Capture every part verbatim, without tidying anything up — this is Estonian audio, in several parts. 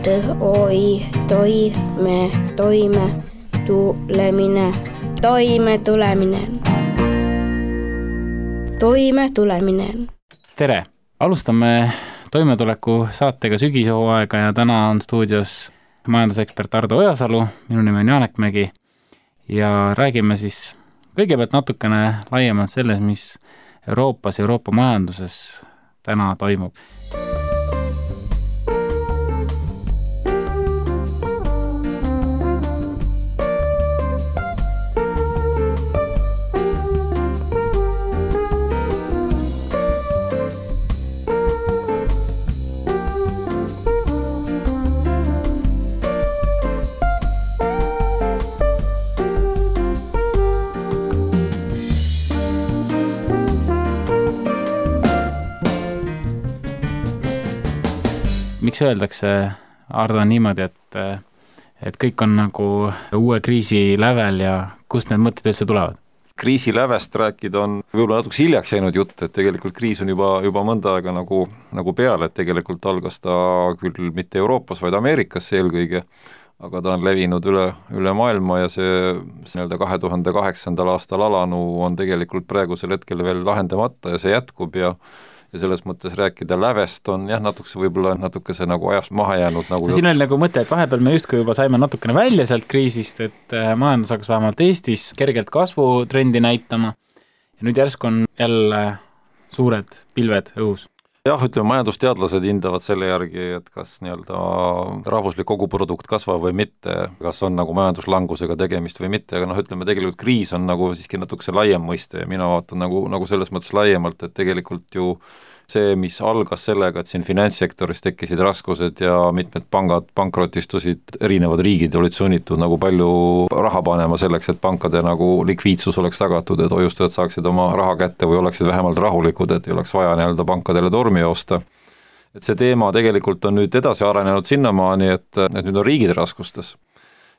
T-O-I, toime, toime, tulemine, toime tulemine, toime tulemine. Tere! Alustame toimetuleku saatega sügishooaega ja täna on stuudios majandusekspert Ardo Ojasalu, minu nimi on Janek Mägi ja räägime siis kõigepealt natukene laiemalt selles, mis Euroopas, Euroopa majanduses täna toimub. Miks öeldakse, Ardo, niimoodi, et, et kõik on nagu uue kriisi lävel ja kust need mõtted üldse tulevad? Kriisi lävest rääkida on võib-olla natuke hiljaks jäänud jutt, et tegelikult kriis on juba, juba mõnda aega nagu, nagu peale, et tegelikult algas ta küll mitte Euroopas, vaid Ameerikas eelkõige, aga ta on levinud üle, üle maailma ja see, see nii-öelda kahe tuhande kaheksandal aastal alanu on tegelikult praegusel hetkel veel lahendamata ja see jätkub ja ja selles mõttes rääkida lävest on jah, natukese võib-olla natukese nagu ajast maha jäänud. Nagu siin oli nagu mõte, et vahepeal me justkui juba saime natukene välja sealt kriisist, et majandus hakkas vähemalt Eestis kergelt kasvutrendi näitama ja nüüd järsku on jälle suured pilved õhus. Jah, ütleme, majandusteadlased hindavad selle järgi, et kas nii-öelda rahvuslik koguprodukt kasvab või mitte, kas on nagu majanduslangusega tegemist või mitte, aga noh, ütleme, tegelikult kriis on nagu siiski natukese laiem mõiste ja mina vaatan nagu, nagu selles mõttes laiemalt, et tegelikult ju see, mis algas sellega, et siin finantssektoris tekkisid raskused ja mitmed pangad pankrotistusid, erinevad riigid olid sunnitud nagu palju raha panema selleks, et pankade nagu likviidsus oleks tagatud, et hoiustajad saaksid oma raha kätte või oleksid vähemalt rahulikud, et ei oleks vaja nii-öelda pankadele tormi joosta. Et see teema tegelikult on nüüd edasi arenenud sinnamaani, et, et nüüd on riigid raskustes.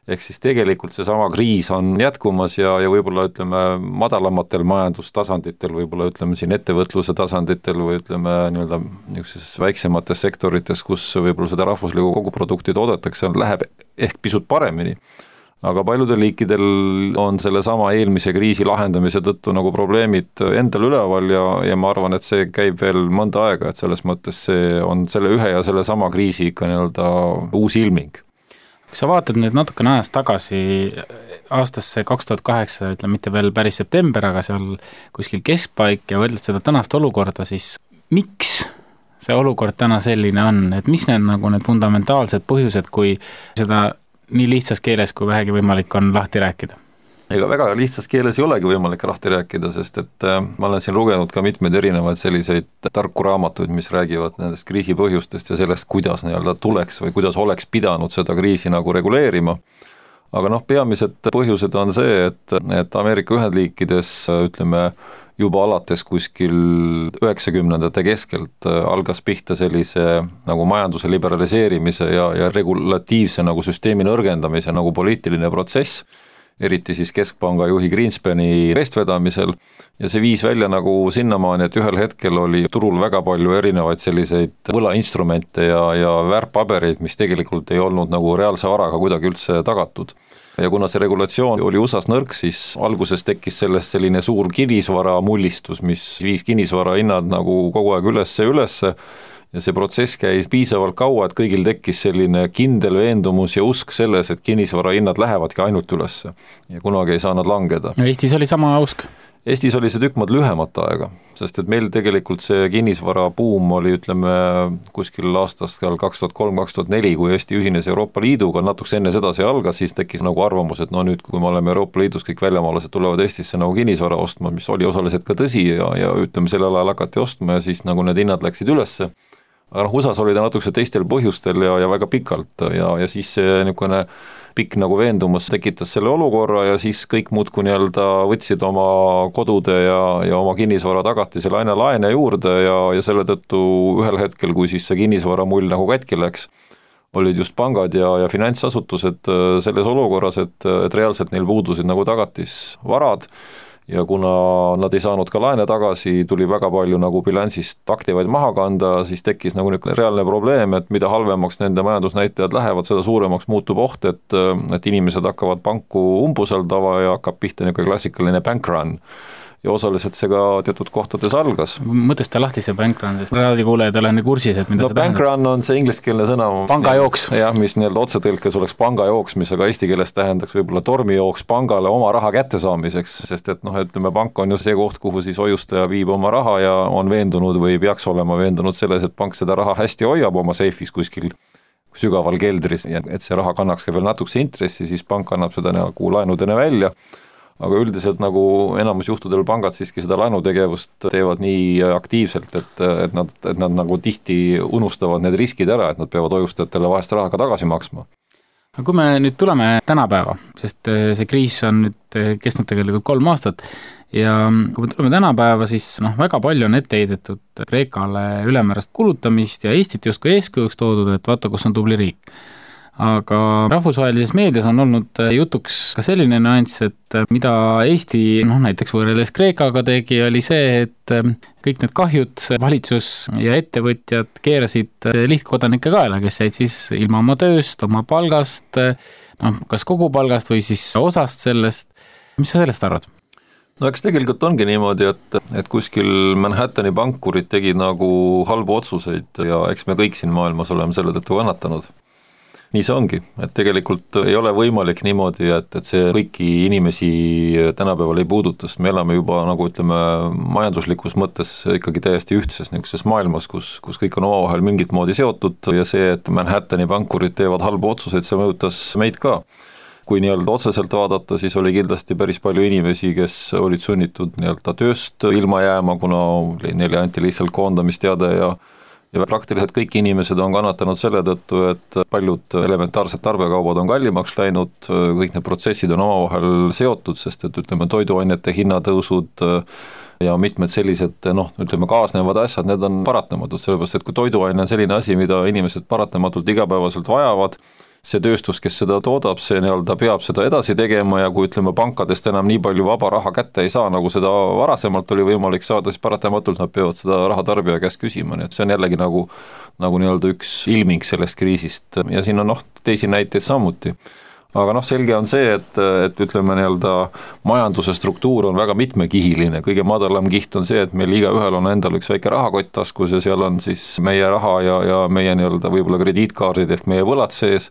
Ehk siis tegelikult seesama kriis on jätkumas ja, ja võib-olla ütleme madalamatel majandustasanditel, võib-olla ütleme siin ettevõtluse tasanditel või ütleme nii-öelda niisuguses väiksemates sektorites, kus võib-olla seda rahvuslikku koguprodukti toodetakse, läheb ehk pisut paremini. Aga paljudel liikidel on selle sama eelmise kriisi lahendamise tõttu nagu probleemid endal üleval ja, ja ma arvan, et see käib veel mõnda aega, et selles mõttes see on selle ühe ja selle sama kriisi ikka nii-öelda uus ilming. Kui sa vaatad nüüd natukene ajast tagasi aastasse kaks tuhat kaheksa, ütleme mitte veel päris september, aga seal kuskil keskpaik ja võrdled seda tänast olukorda, siis miks see olukord täna selline on, et mis need, nagu need fundamentaalsed põhjused, kui seda nii lihtsas keeles kui vähegi võimalik on lahti rääkida? Ega väga lihtsas keeles ei olegi võimalik lahti rääkida, sest et ma olen siin lugenud ka mitmeid erinevaid selliseid tarku raamatuid, mis räägivad nendest kriisi põhjustest ja sellest, kuidas nii-öelda tuleks või kuidas oleks pidanud seda kriisi nagu reguleerima. Aga noh, peamised põhjused on see, et, et Ameerika Ühendliikides ütleme juba alates kuskil üheksakümnendate keskelt algas pihta sellise nagu majanduse liberaliseerimise ja, ja regulatiivse nagu süsteemi nõrgendamise nagu poliitiline protsess, eriti siis keskpanga juhi Greenspani eestvedamisel ja see viis välja nagu sinnamaani, et ühel hetkel oli turul väga palju erinevaid selliseid võlainstrumente ja, ja väärtpabereid, mis tegelikult ei olnud nagu reaalse varaga kuidagi üldse tagatud. Ja kuna see regulatsioon oli U S A-s nõrk, siis alguses tekkis sellest selline suur kinnisvara mullistus, mis viis kinnisvara hinnad nagu kogu aeg ülesse ja ülesse ja see protsess käis piisavalt kaua, et kõigil tekkis selline kindel veendumus ja usk selles, et kinnisvara hinnad lähevadki ainult ülesse ja kunagi ei saa nad langeda. Ja Eestis oli sama usk? Eestis oli see tükk maad lühemat aega, sest et meil tegelikult see kinnisvara buum oli, ütleme, kuskil aastast kaks tuhat kolm kaks tuhat neli, kui Eesti ühines Euroopa Liiduga, natuks enne seda see algas, siis tekkis nagu arvamus, et no nüüd, kui me oleme Euroopa Liidus, kõik väljamaalased tulevad Eestisse nagu kinnisvara ostma, mis oli osaliselt ka tõsi ja, ja ütleme, sellel ajal hakati ostma ja siis nagu need hinnad läksid ülesse. Aga noh, U S A-s oli ta natukese teistel põhjustel ja, ja väga pikalt ja, ja siis see niisugune pikk nagu veendumus tekitas selle olukorra ja siis kõik muudkui nii-öelda võtsid oma kodude ja, ja oma kinnisvara tagatisele aina laene juurde ja, ja selle tõttu ühel hetkel, kui siis see kinnisvara mull nagu kätki läks, olid just pangad ja, ja finantsasutused selles olukorras, et, et reaalselt neil puudusid nagu tagatisvarad ja kuna nad ei saanud ka laene tagasi, tuli väga palju nagu bilansist aktivaid maha kanda, siis tekkis nagu niisugune reaalne probleem, et mida halvemaks nende majandusnäitajad lähevad, seda suuremaks muutub oht, et, et inimesed hakkavad panku umbusaldava ja hakkab pihta niisugune klassikaline bank run. Ja osaliselt see ka teatud kohtades algas. Mõtesta lahti see bank run, sest raadikuulejad ei ole nii kursis, et mida no, see bank tähendab. Run on see ingliskeelne sõna. Pangajooks. Jah, mis nii-öelda otsetõlkes oleks pangajooks, mis aga eesti keeles tähendaks võib-olla tormijooks pangale oma raha kättesaamiseks, sest et noh, ütleme, pank on ju see koht, kuhu siis hoiustaja viib oma raha ja on veendunud või peaks olema veendunud selles, et pank seda raha hästi hoiab oma seifis kuskil sügaval keldris, et see raha kannaks ka veel natukese intressi, siis pank annab seda nagu laenudena välja. Aga üldiselt nagu enamus juhtudel pangad siiski seda laenutegevust teevad nii aktiivselt, et, et, nad, et nad nagu tihti unustavad need riskid ära, et nad peavad hoiustajatele vahest raha ka tagasi maksma. Aga kui me nüüd tuleme tänapäeva, sest see kriis on nüüd kestnud tegelikult kolm aastat ja kui me tuleme tänapäeva, siis noh, väga palju on ette heidetud Kreekale ülemäärast kulutamist ja Eestit justkui eeskujuks toodud, et vaata, kus on tubli riik. Aga rahvusvahelises meedias on olnud jutuks ka selline nüanss, et mida Eesti noh, näiteks võrreldes Kreekaga tegi, oli see, et kõik need kahjud valitsus ja ettevõtjad keerasid lihtkodanike kaela, kes jäid siis ilma oma tööst, oma palgast, noh, kas kogu palgast või siis osast sellest. Mis sa sellest arvad? No eks tegelikult ongi niimoodi, et, et kuskil Manhattani pankurid tegid nagu halbu otsuseid ja eks me kõik siin maailmas oleme selle tõttu kannatanud. Nii see ongi, et tegelikult ei ole võimalik niimoodi, et, et see kõiki inimesi tänapäeval ei puuduta, sest me elame juba nagu ütleme majanduslikus mõttes ikkagi täiesti ühtses niisuguses maailmas, kus, kus kõik on omavahel mingit moodi seotud ja see, et Manhattani pankurid teevad halbu otsuseid, see mõjutas meid ka. Kui nii-öelda otseselt vaadata, siis oli kindlasti päris palju inimesi, kes olid sunnitud nii-öelda tööst ilma jääma, kuna neile anti lihtsalt koondamisteade ja ja praktiliselt kõik inimesed on kannatanud selle tõttu, et paljud elementaarsed tarbekaubad on kallimaks läinud, kõik need protsessid on omavahel seotud, sest et ütleme toiduainete hinnatõusud ja mitmed sellised noh, ütleme kaasnevad asjad, need on paratamatud, sellepärast et kui toiduaine on selline asi, mida inimesed paratamatult igapäevaselt vajavad, see tööstus, kes seda toodab, see nii-öelda peab seda edasi tegema ja kui ütleme pankadest enam nii palju vaba raha kätte ei saa, nagu seda varasemalt oli võimalik saada, siis paratamatult nad peavad seda raha tarbija käest küsima, nii et see on jällegi nagu, nagu nii-öelda üks ilming sellest kriisist ja siin on noh, teisi näiteid samuti. Aga noh, selge on see, et, et ütleme nii-öelda majanduse struktuur on väga mitmekihiline, kõige madalam kiht on see, et meil igaühel on endal üks väike rahakott taskus ja seal on siis meie raha ja, ja meie nii-öelda võib-olla krediitkaardid ehk meie võlad sees.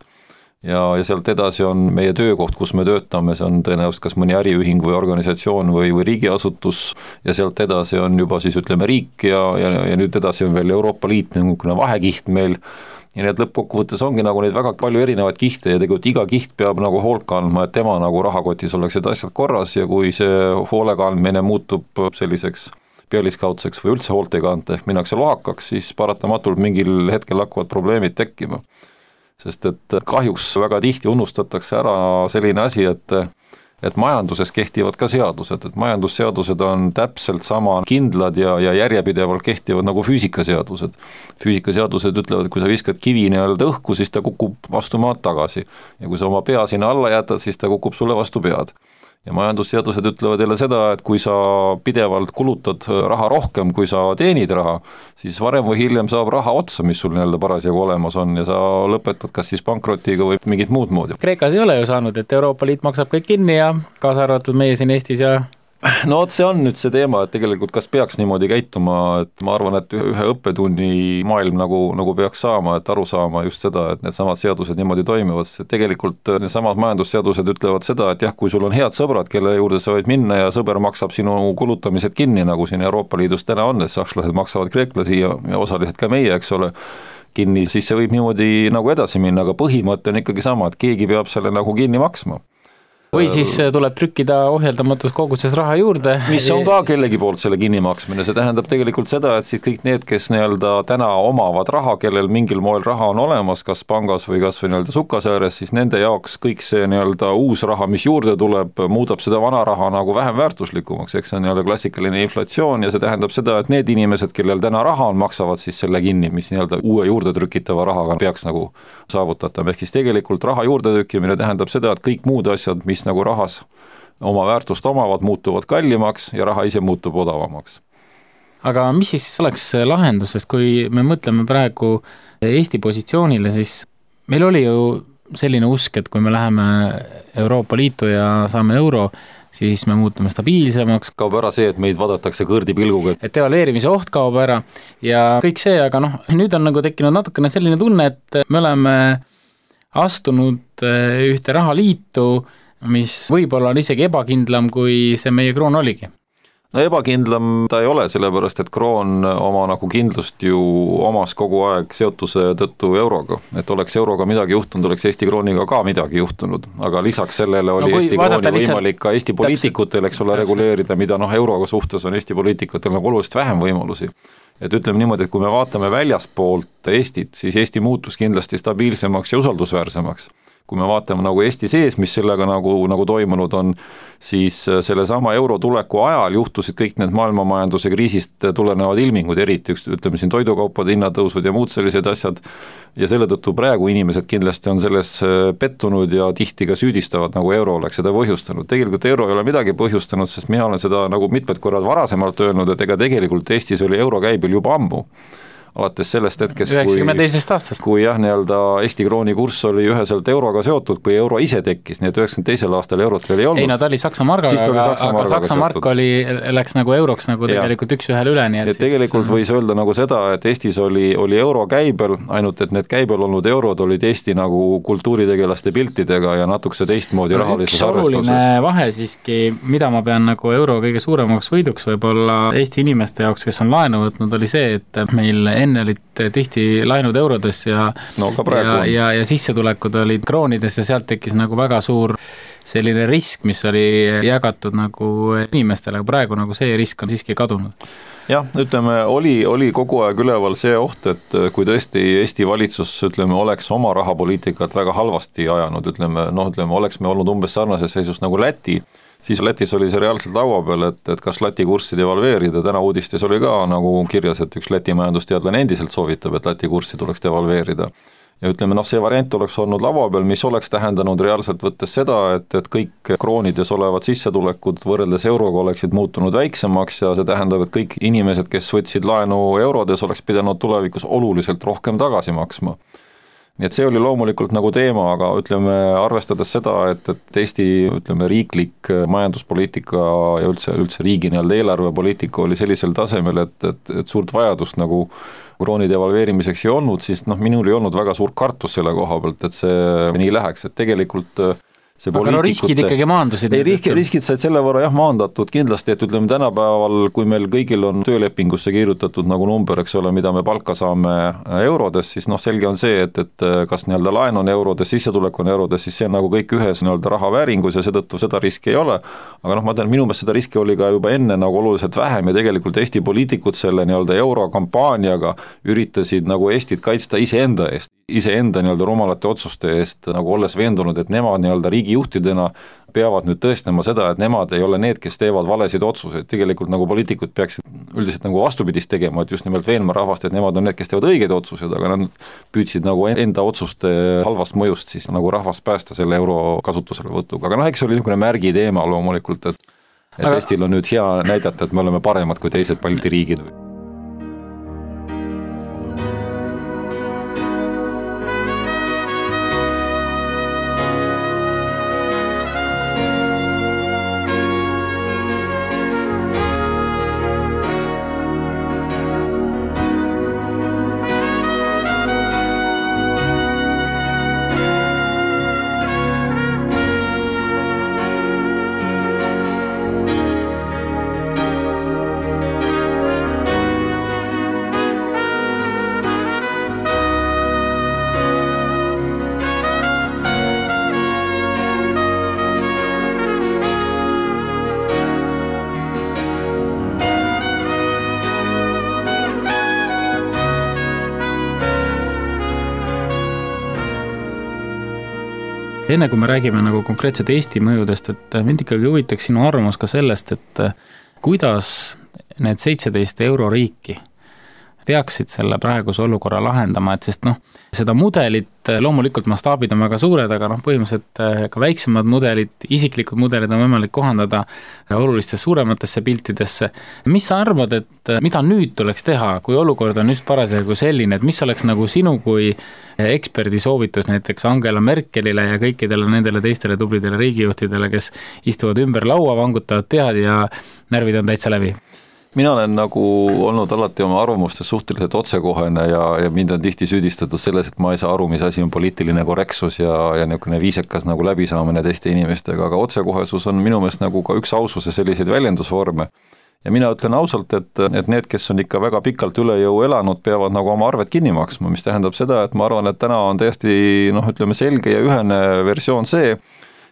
Ja, ja sealt edasi on meie töökoht, kus me töötame, see on tõenäoliselt kas mõni äriühing või organisatsioon või, või riigiasutus ja sealt edasi on juba siis ütleme riik ja, ja, ja nüüd edasi on veel Euroopa Liit, niisugune vahekiht meil ja need lõppkokkuvõttes ongi nagu neid väga palju erinevaid kihte ja tegelikult iga kiht peab nagu hoolt kandma, et tema nagu rahakotis oleksid asjad korras ja kui see hoolekandmine muutub selliseks pealiskaudseks või üldse hoolt ei kanta ehk minnakse lohakaks, siis paratamatult mingil hetkel hakkavad probleemid tekkima. Sest et kahjuks väga tihti unustatakse ära selline asi, et, et majanduses kehtivad ka seadused, et majandusseadused on täpselt sama kindlad ja, ja järjepidevalt kehtivad nagu füüsikaseadused. Füüsikaseadused ütlevad, et kui sa viskad kivi nii-öelda õhku, siis ta kukub vastu maad tagasi ja kui sa oma pea sinna alla jätad, siis ta kukub sulle vastu pead. Ja majandusseadused ütlevad jälle seda, et kui sa pidevalt kulutad raha rohkem, kui sa teenid raha, siis varem või hiljem saab raha otsa, mis sul nii-öelda parasjagu olemas on ja sa lõpetad kas siis pankrotiga või mingit muud moodi. Kreekas ei ole ju saanud, et Euroopa Liit maksab kõik kinni ja kaasa arvatud meie siin Eestis ja no et see on nüüd see teema, et tegelikult kas peaks niimoodi käituma, et ma arvan, et ühe õppetunni maailm nagu, nagu peaks saama, et aru saama just seda, et need samad seadused niimoodi toimivad, sest tegelikult need samad majandusseadused ütlevad seda, et jah, kui sul on head sõbrad, kelle juurde sa võid minna ja sõber maksab sinu kulutamised kinni, nagu siin Euroopa Liidus täna on, et sakslased maksavad kreeklasi ja, ja osaliselt ka meie, eks ole, kinni, siis see võib niimoodi nagu edasi minna, aga põhimõte on ikkagi sama, et keegi peab selle nagu kinni maksma. Või siis tuleb trükkida ohjeldamatus koguses raha juurde. Mis on ka kellegi poolt selle kinnimaksmine, see tähendab tegelikult seda, et siis kõik need, kes nii-öelda täna omavad raha, kellel mingil moel raha on olemas, kas pangas või kas või nii-öelda sukasääres, siis nende jaoks kõik see nii-öelda uus raha, mis juurde tuleb, muudab seda vana raha nagu vähem väärtuslikumaks, eks see on nii-öelda klassikaline inflatsioon ja see tähendab seda, et need inimesed, kellel täna raha on, maksavad siis selle kinni, mis nii-öelda uue juurde trükitava rahaga peaks nagu saavutatav, ehk siis tegelikult raha juurde trükkimine tähendab seda, et kõik muud asjad, mis nagu rahas oma väärtust omavad, muutuvad kallimaks ja raha ise muutub odavamaks. Aga mis siis oleks lahendus, sest kui me mõtleme praegu Eesti positsioonile, siis meil oli ju selline usk, et kui me läheme Euroopa Liitu ja saame euro, siis me muutume stabiilsemaks. Kaob ära see, et meid vaadatakse kõrdi pilguga. Et devalveerimise oht kaob ära ja kõik see, aga noh, nüüd on nagu tekkinud natukene selline tunne, et me oleme astunud ühte rahaliitu, mis võib-olla on isegi ebakindlam, kui see meie kroon oligi. No ebakindlam ta ei ole, sellepärast, et kroon oma nagu kindlust ju omas kogu aeg seotuse tõttu euroga. Et oleks euroga midagi juhtunud, oleks Eesti krooniga ka midagi juhtunud. Aga lisaks sellele oli no, Eesti krooni võimalik ka Eesti poliitikutel, eks ole, reguleerida, mida noh, euroga suhtes on Eesti poliitikutel nagu oluliselt vähem võimalusi. Et ütleme niimoodi, et kui me vaatame väljaspoolt Eestit, siis Eesti muutus kindlasti stabiilsemaks ja usaldusväärsemaks. Kui me vaatame nagu Eesti sees, mis sellega nagu, nagu toimunud on, siis selle sama euro tuleku ajal juhtusid kõik need maailmamajanduse kriisist tulenevad ilmingud, eriti ütleme siin toidukaupade hinnatõusud ja muud sellised asjad, ja selle tõttu praegu inimesed kindlasti on selles pettunud ja tihti ka süüdistavad, nagu euro oleks seda põhjustanud. Tegelikult euro ei ole midagi põhjustanud, sest mina olen seda nagu mitmed korrad varasemalt öelnud, et ega tegelikult Eestis oli euro käibil juba ammu. Alates sellest hetkest, kui, kui jah, nii-öelda Eesti krooni kurss oli üheselt euroga seotud, kui euro ise tekkis, nii et üheksakümne teisel aastal eurot veel ei olnud. Ei, no ta oli Saksa margaga, aga, Saksa aga Saksa mark oli, läks nagu euroks nagu tegelikult ja. üks ühele üle. Nii et et tegelikult siis... võis öelda nagu seda, et Eestis oli, oli euro käibel, ainult et need käibel olnud eurod olid Eesti nagu kultuuritegelaste piltidega ja natukese teistmoodi no, rahalises arvestuses. Üks oluline vahe siiski, mida ma pean nagu euro kõige suuremaks võiduks võib-olla Eesti inimeste jaoks, kes on laenu võtnud, oli see, et meil enne olid tihti laenud eurodes ja, no, ja, ja, ja sissetulekud olid kroonides ja sealt tekkis nagu väga suur selline risk, mis oli jagatud nagu inimestele, aga praegu nagu see risk on siiski kadunud. Jah, ütleme, oli, oli kogu aeg üleval see oht, et kui tõesti Eesti valitsus, ütleme, oleks oma rahapoliitikat väga halvasti ajanud, ütleme, noh, ütleme, oleks me olnud umbes sarnases seisus nagu Läti, siis Lätis oli see reaalselt laua peal, et, et kas Läti kurssi devalveerida, täna uudistes oli ka nagu kirjas, et üks Läti majandusteadlane endiselt soovitab, et Läti kurssi tuleks devalveerida. Ja ütleme, noh, see variant oleks olnud laua peal, mis oleks tähendanud reaalselt võttes seda, et, et kõik kroonides olevad sissetulekud võrreldes euroga oleksid muutunud väiksemaks ja see tähendab, et kõik inimesed, kes võtsid laenu eurodes, oleks pidanud tulevikus oluliselt rohkem tagasi maksma. Nii et see oli loomulikult nagu teema, aga ütleme, arvestades seda, et, et Eesti ütleme, riiklik majanduspoliitika ja üldse, üldse riigi nii-öelda eelarvepoliitika oli sellisel tasemel, et, et, et suurt vajadust nagu krooni devalveerimiseks ei olnud, siis noh, minul ei olnud väga suur kartus selle koha pealt, et see nii läheks, et tegelikult see aga no riskid ikkagi maandusid. Ei, riskid, riskid said selle võrra jah maandatud kindlasti, et ütleme tänapäeval, kui meil kõigil on töölepingusse kirjutatud nagu number, eks ole, mida me palka saame eurodes, siis noh, selge on see, et, et kas nii-öelda laen on eurodes, sissetulek on eurodes, siis see on nagu kõik ühes nii-öelda rahavääringus ja seetõttu seda riski ei ole. Aga noh, ma tean, minu meelest seda riski oli ka juba enne nagu oluliselt vähem ja tegelikult Eesti poliitikud selle nii-öelda eurokampaaniaga üritasid nagu Eestit kaitsta iseenda eest, iseenda nii-öelda rumalate otsuste eest, nagu olles veendunud, et nemad nii-öelda riigi juhtidena peavad nüüd tõestama seda, et nemad ei ole need, kes teevad valesid otsuseid. Tegelikult nagu poliitikud peaksid üldiselt nagu vastupidist tegema, et just nimelt veenma rahvast, et nemad on need, kes teevad õigeid otsuseid, aga nad püüdsid nagu enda otsuste halvast mõjust siis nagu rahvast päästa selle euro kasutusele võtuga. Aga noh, eks oli niisugune märgi teema loomulikult, et, et aga... Eestil on nüüd hea näidata, et me oleme paremad kui teised Balti riigid. Enne kui me räägime nagu konkreetselt Eesti mõjudest, et mind ikkagi huvitaks sinu arvamus ka sellest, et kuidas need seitseteist euroriiki peaksid selle praeguse olukorra lahendama, et sest noh, seda mudelit, loomulikult mastaabid on väga suured, aga noh, põhimõtteliselt ka väiksemad mudelid, isiklikud mudelid on võimalik kohandada olulistesse suurematesse piltidesse. Mis sa arvad, et mida nüüd tuleks teha, kui olukord on just parasjagu selline, et mis oleks nagu sinu kui eksperdi soovitus näiteks Angela Merkelile ja kõikidele nendele teistele tublidele riigijuhtidele, kes istuvad ümber laua, vangutavad pead ja närvid on täitsa läbi? Mina olen nagu olnud alati oma arvamustes suhteliselt otsekohene ja, ja mind on tihti süüdistatud selles, et ma ei saa aru, mis asi on poliitiline korrektsus ja, ja niisugune viisakas nagu läbisaamine teiste inimestega, aga otsekohesus on minu meelest nagu ka üks aususe selliseid väljendusvorme. Ja mina ütlen ausalt, et, et need, kes on ikka väga pikalt üle jõu elanud, peavad nagu oma arved kinni maksma, mis tähendab seda, et ma arvan, et täna on täiesti noh, ütleme selge ja ühene versioon see,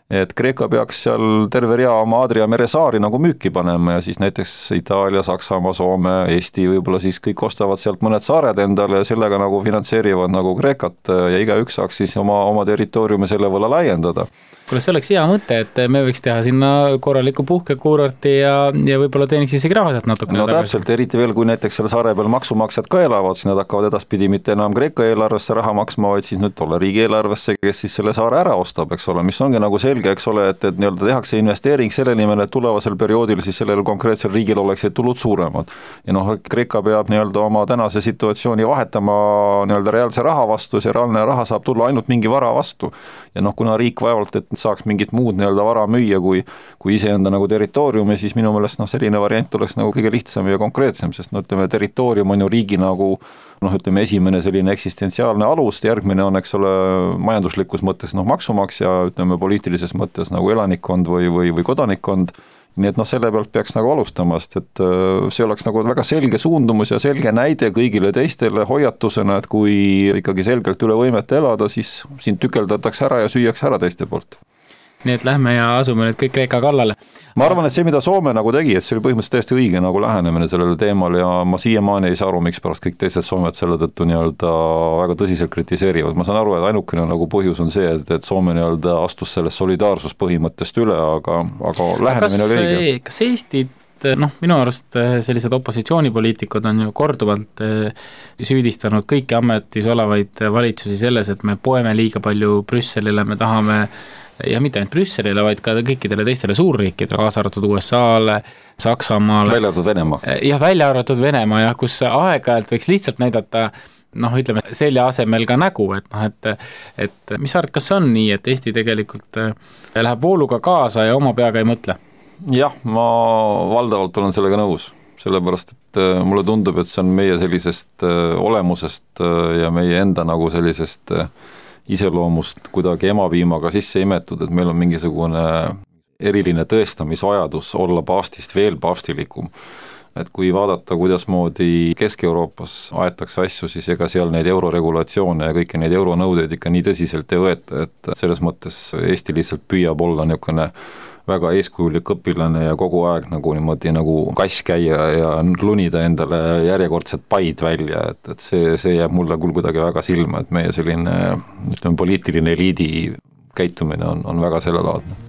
et Kreeka peaks seal terve rea oma Adria meresaari nagu müüki panema ja siis näiteks Itaalia, Saksamaa, Soome, Eesti võib-olla siis kõik ostavad sealt mõned saared endale ja sellega nagu finantseerivad nagu Kreekat ja igaüks saaks siis oma, oma territooriumi selle võlla laiendada. Kuule, see oleks hea mõte, et me võiks teha sinna korraliku puhkekuurorti ja, ja võib-olla teeniks isegi raha sealt natukene. No täpselt, eriti veel, kui näiteks selle saare peal maksumaksjad ka elavad, siis nad hakkavad edaspidi mitte enam Kreeka eelarvesse raha maksma, vaid siis nüüd tolle riigi eelarvesse, kes siis selle saare ära ostab, eks ole, mis ongi nagu selge, eks ole, et, et nii-öelda tehakse investeering selle nimel, et tulevasel perioodil siis sellel konkreetsel riigil oleksid tulud suuremad. Ja noh, Kreeka peab nii-öelda oma tänase situatsiooni vahetama nii-öelda reaalse raha vastu, see reaalne raha saab tulla ainult mingi vara vastu. Ja noh, kuna riik vaevalt, et saaks mingit muud nii-öelda vara müüa kui, kui iseenda nagu territooriumi, siis minu meelest noh, selline variant oleks nagu kõige lihtsam ja konkreetsem, sest no ütleme, territoorium on ju riigi nagu noh, ütleme esimene selline eksistentsiaalne alus, järgmine on, eks ole, majanduslikus mõttes noh, maksumaksja, ütleme poliitilises mõttes nagu elanikkond või, või, või kodanikkond, nii et noh, selle pealt peaks nagu alustamast, et see oleks nagu väga selge suundumus ja selge näide kõigile teistele hoiatusena, et kui ikkagi selgelt üle võimete elada, siis siin tükeldatakse ära ja süüakse ära teiste poolt. Nii et lähme ja asume nüüd kõik Kreeka kallale. Ma arvan, et see, mida Soome nagu tegi, et see oli põhimõtteliselt täiesti õige nagu lähenemine sellele teemal ja ma siiamaani ei saa aru, miks pärast kõik teised Soomed selle tõttu nii-öelda väga tõsiselt kritiseerivad. Ma saan aru, et ainukene nagu põhjus on see, et, et Soome nii-öelda astus sellest solidaarsuspõhimõttest üle, aga, aga lähenemine oli õige. Kas Eestit noh, minu arust sellised opositsioonipoliitikud on ju korduvalt süüdistanud kõiki ametis olevaid valitsusi selles, et me poeme liiga palju Brüsselile, me tahame ja mitte ainult Brüsselile, vaid ka kõikidele teistele suurriikidele, kaasa arvatud U S A-le, Saksamaale. Välja arvatud Venemaa. Jah, välja arvatud Venemaa, jah, kus aeg-ajalt võiks lihtsalt näidata, noh, ütleme, selja asemel ka nägu, et noh, et, et mis arvad, kas on nii, et Eesti tegelikult läheb vooluga kaasa ja oma peaga ei mõtle? Jah, ma valdavalt olen sellega nõus, sellepärast, et mulle tundub, et see on meie sellisest olemusest ja meie enda nagu sellisest iseloomust kuidagi emapiimaga sisse imetud, et meil on mingisugune eriline tõestamisvajadus olla paavstist veel paavstilikum. Et kui vaadata, kuidasmoodi Kesk-Euroopas aetakse asju, siis ega seal neid euroregulatsioone ja kõiki neid euronõudeid ikka nii tõsiselt ei võeta, et selles mõttes Eesti lihtsalt püüab olla niisugune väga eeskujulik õpilane ja kogu aeg nagu niimoodi nagu kass käia ja lunida endale järjekordset paid välja, et, et see, see jääb mulle küll kuidagi väga silma, et meie selline, ütleme, poliitiline eliidi käitumine on, on väga sellelaadne.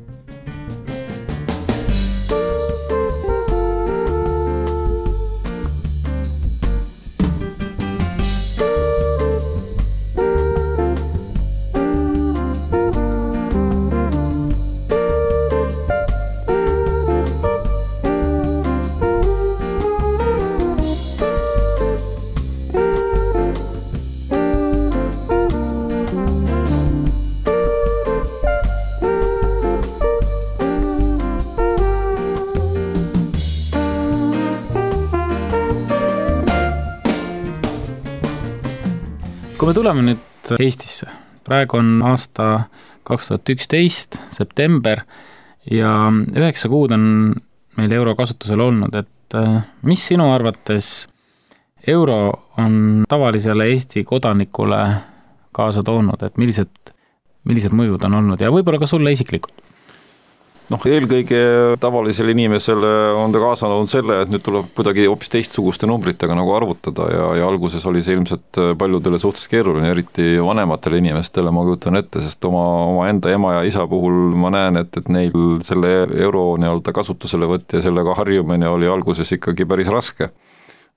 Kui me tuleme nüüd Eestisse, praegu on aasta kaks tuhat üksteist, september ja üheksa kuud on meil euro kasutusel olnud, et mis sinu arvates euro on tavalisele Eesti kodanikule kaasa toonud, et millised, millised mõjud on olnud ja võib-olla ka sulle isiklikult? Noh, eelkõige tavalisele inimesele on ta kaasa olnud selle, et nüüd tuleb kuidagi hoopis teistsuguste numbritega nagu arvutada ja, ja alguses oli see ilmselt paljudele suhtes keeruline, eriti vanematele inimestele, ma kujutan ette, sest oma, oma enda ema ja isa puhul ma näen, et, et neil selle euro nii-öelda kasutusele võtt ja sellega harjumine oli alguses ikkagi päris raske.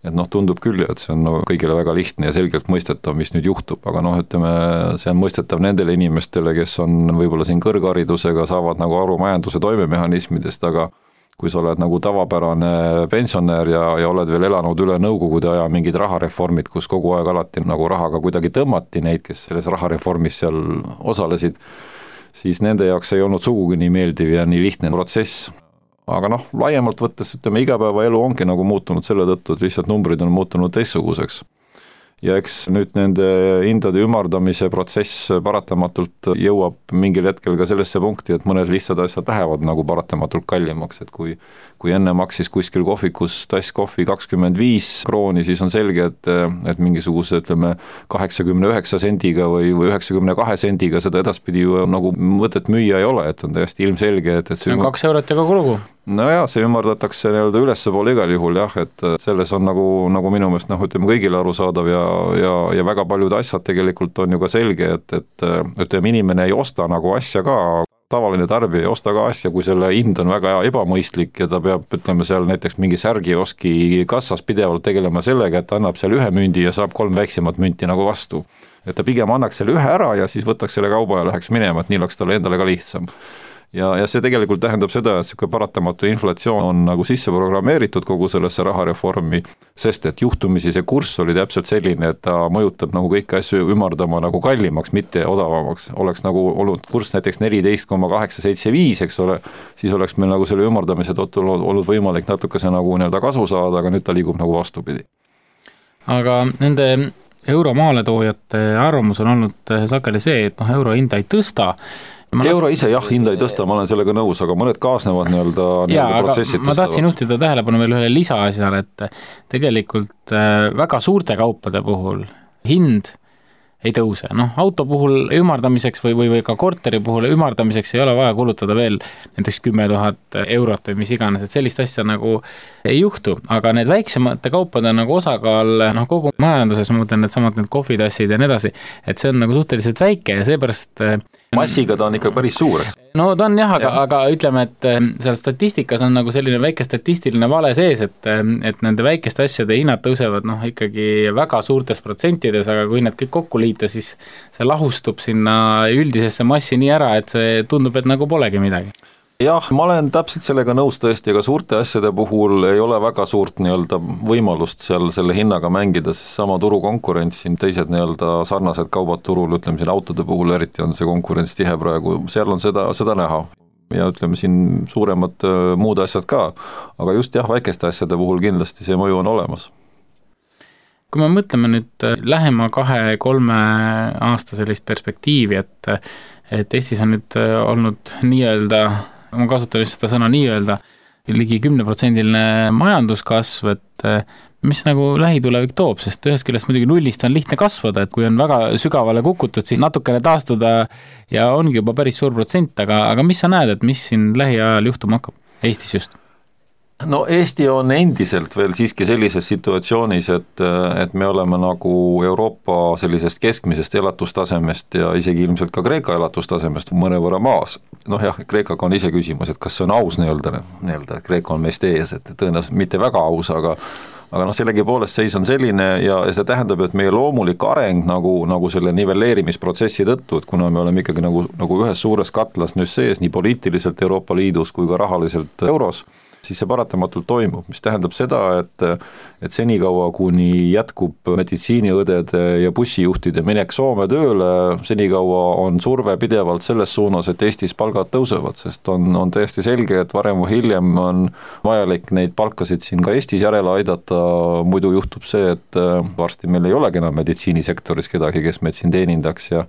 et noh, tundub küll, et see on no, kõigile väga lihtne ja selgelt mõistetav, mis nüüd juhtub, aga noh, ütleme, see on mõistetav nendele inimestele, kes on võib-olla siin kõrgharidusega, saavad nagu aru majanduse toimemehhanismidest, aga kui sa oled nagu tavapärane pensionär ja, ja oled veel elanud üle nõukogude aja mingid rahareformid, kus kogu aeg alati nagu rahaga kuidagi tõmmati neid, kes selles rahareformis seal osalesid, siis nende jaoks ei olnud sugugi nii meeldiv ja nii lihtne protsess. Aga noh, laiemalt võttes, ütleme, igapäevaelu ongi nagu muutunud selle tõttu, et lihtsalt numbrid on muutunud teistsuguseks. Ja eks nüüd nende hindade ümardamise protsess paratamatult jõuab mingil hetkel ka sellesse punkti, et mõned lihtsad asjad lähevad nagu paratamatult kallimaks, et kui, kui enne maksis kuskil kohvikus tass kohvi kakskümmend viis krooni, siis on selge, et, et mingisuguse, ütleme, kaheksakümne üheksa sendiga või, või üheksakümne kahe sendiga seda edaspidi ju nagu mõtet müüa ei ole, et on täiesti ilmselge, et, et see on kaks eurot ja kogu lugu. No jaa, see ümardatakse nii-öelda ülesse poole igal juhul jah, et selles on nagu, nagu minu meelest noh, ütleme kõigile arusaadav ja, ja, ja väga paljud asjad tegelikult on ju ka selge, et, et ütleme, inimene ei osta nagu asja ka, tavaline tarbija ei osta ka asja, kui selle hind on väga ebamõistlik ja ta peab, ütleme seal näiteks mingi särgioski kassas pidevalt tegelema sellega, et ta annab seal ühe mündi ja saab kolm väiksemat münti nagu vastu. Et ta pigem annaks selle ühe ära ja siis võtaks selle kauba ja läheks minema, et nii oleks talle endale ka lihtsam. Ja, ja see tegelikult tähendab seda, et see paratamatu inflatsioon on nagu sisse programmeeritud kogu sellesse rahareformi, sest et juhtumisi see kurss oli täpselt selline, et ta mõjutab nagu kõiki asju ümardama nagu kallimaks, mitte odavamaks. Oleks nagu olnud kurss näiteks neliteist koma kaheksa seitse viis, eks ole, siis oleks meil nagu selle ümardamise tõttu olnud võimalik natukese nagu nii-öelda kasu saada, aga nüüd ta liigub nagu vastupidi. Aga nende euromaaletoojate arvamus on olnud sageli see, et noh, euro hinda ei tõsta. Ma euro ise jah, hinda ei tõsta, ma olen sellega nõus, aga mõned kaasnevad nii-öelda, nii-öelda protsessid tõstavad. Ma tahtsin juhtida tähelepanu veel ühele lisaasjale, et tegelikult väga suurte kaupade puhul hind ei tõuse. Noh, auto puhul ümardamiseks või, või, või ka korteri puhul ümardamiseks ei ole vaja kulutada veel näiteks kümme tuhat eurot või mis iganes, et sellist asja nagu ei juhtu, aga need väiksemate kaupade nagu osakaal, noh kogu majanduses, ma mõtlen, et samad need kohvitassid ja nii edasi, et see on nagu suhteliselt väike ja seepärast massiga ta on ikka päris suur. No ta on jah, aga, aga ütleme, et seal statistikas on nagu selline väike statistiline vale sees, et, et nende väikeste asjade hinnad tõusevad noh ikkagi väga suurtes protsentides, aga kui need kõik kokku liita, siis see lahustub sinna üldisesse massi nii ära, et see tundub, et nagu polegi midagi. Jah, ma olen täpselt sellega nõus tõesti, aga suurte asjade puhul ei ole väga suurt nii-öelda võimalust seal selle hinnaga mängida, sest sama turukonkurents siin, teised nii-öelda sarnased kaubad turul, ütleme siin autode puhul eriti on see konkurents tihe praegu, seal on seda, seda näha. Ja ütleme siin suuremad muud asjad ka, aga just jah, väikeste asjade puhul kindlasti see mõju on olemas. Kui me mõtleme nüüd lähema kahe-kolme aasta sellist perspektiivi, et, et Eestis on nüüd olnud nii-öelda ma kasutan just seda sõna nii-öelda, ligi kümneprotsendiline majanduskasv, et mis nagu lähitulevik toob, sest ühest küljest muidugi nullist on lihtne kasvada, et kui on väga sügavale kukutud, siis natukene taastuda ja ongi juba päris suur protsent, aga, aga mis sa näed, et mis siin lähiajal juhtuma hakkab, Eestis just? No Eesti on endiselt veel siiski sellises situatsioonis, et, et me oleme nagu Euroopa sellisest keskmisest elatustasemest ja isegi ilmselt ka Kreeka elatustasemest mõnevõrra maas. Noh jah, Kreekaga on ise küsimus, et kas see on aus nii-öelda, nii-öelda Kreeka on meist ees, et tõenäoliselt mitte väga aus, aga aga noh, sellegi poolest seis on selline ja, ja see tähendab, et meie loomulik areng nagu, nagu selle nivelleerimisprotsessi tõttu, et kuna me oleme ikkagi nagu, nagu ühes suures katlas nüüd sees nii poliitiliselt Euroopa Liidus kui ka rahaliselt euros, siis see paratamatult toimub, mis tähendab seda, et, et senikaua, kuni jätkub meditsiiniõdede ja bussijuhtide minek Soome tööle, senikaua on surve pidevalt selles suunas, et Eestis palgad tõusevad, sest on, on täiesti selge, et varem või hiljem on vajalik neid palkasid siin ka Eestis järele aidata, muidu juhtub see, et varsti meil ei olegi enam meditsiinisektoris kedagi, kes meid siin teenindaks ja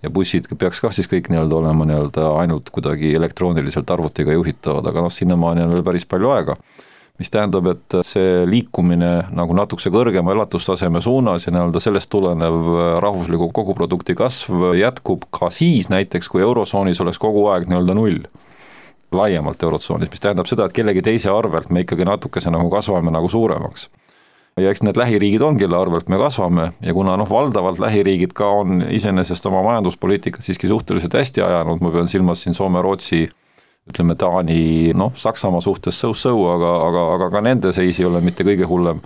ja bussid peaks ka siis kõik nii-öelda olema nii-öelda ainult kuidagi elektrooniliselt arvutiga juhitavad, aga noh, sinnamaani on veel päris palju aega. Mis tähendab, et see liikumine nagu natukese kõrgema elatustaseme suunas ja nii-öelda sellest tulenev rahvusliku koguprodukti kasv jätkub ka siis näiteks, kui eurosoonis oleks kogu aeg nii-öelda null laiemalt eurotsoonis, mis tähendab seda, et kellegi teise arvelt me ikkagi natukese nagu kasvame nagu suuremaks. Ja eks need lähiriigid on, kelle arvelt me kasvame ja kuna noh, valdavalt lähiriigid ka on iseenesest oma majanduspoliitikat siiski suhteliselt hästi ajanud, ma pean silmas siin Soome, Rootsi, ütleme Taani, noh, Saksamaa suhtes sõu-sõu, aga, aga, aga ka nende seis ei ole mitte kõige hullem,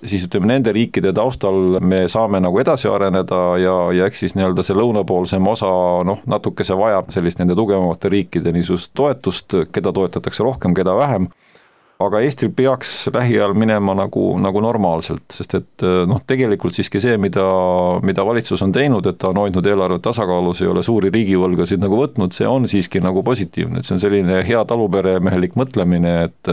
siis ütleme, nende riikide taustal me saame nagu edasi areneda ja, ja eks siis nii-öelda see lõunapoolsem osa, noh, natuke see vajab sellist nende tugevamate riikide niisugust toetust, keda toetatakse rohkem, keda vähem, aga Eestil peaks lähiajal minema nagu, nagu normaalselt, sest et noh, tegelikult siiski see, mida, mida valitsus on teinud, et ta on hoidnud eelarvet tasakaalus, ei ole suuri riigivõlgasid nagu võtnud, see on siiski nagu positiivne, et see on selline hea taluperemehelik mõtlemine, et,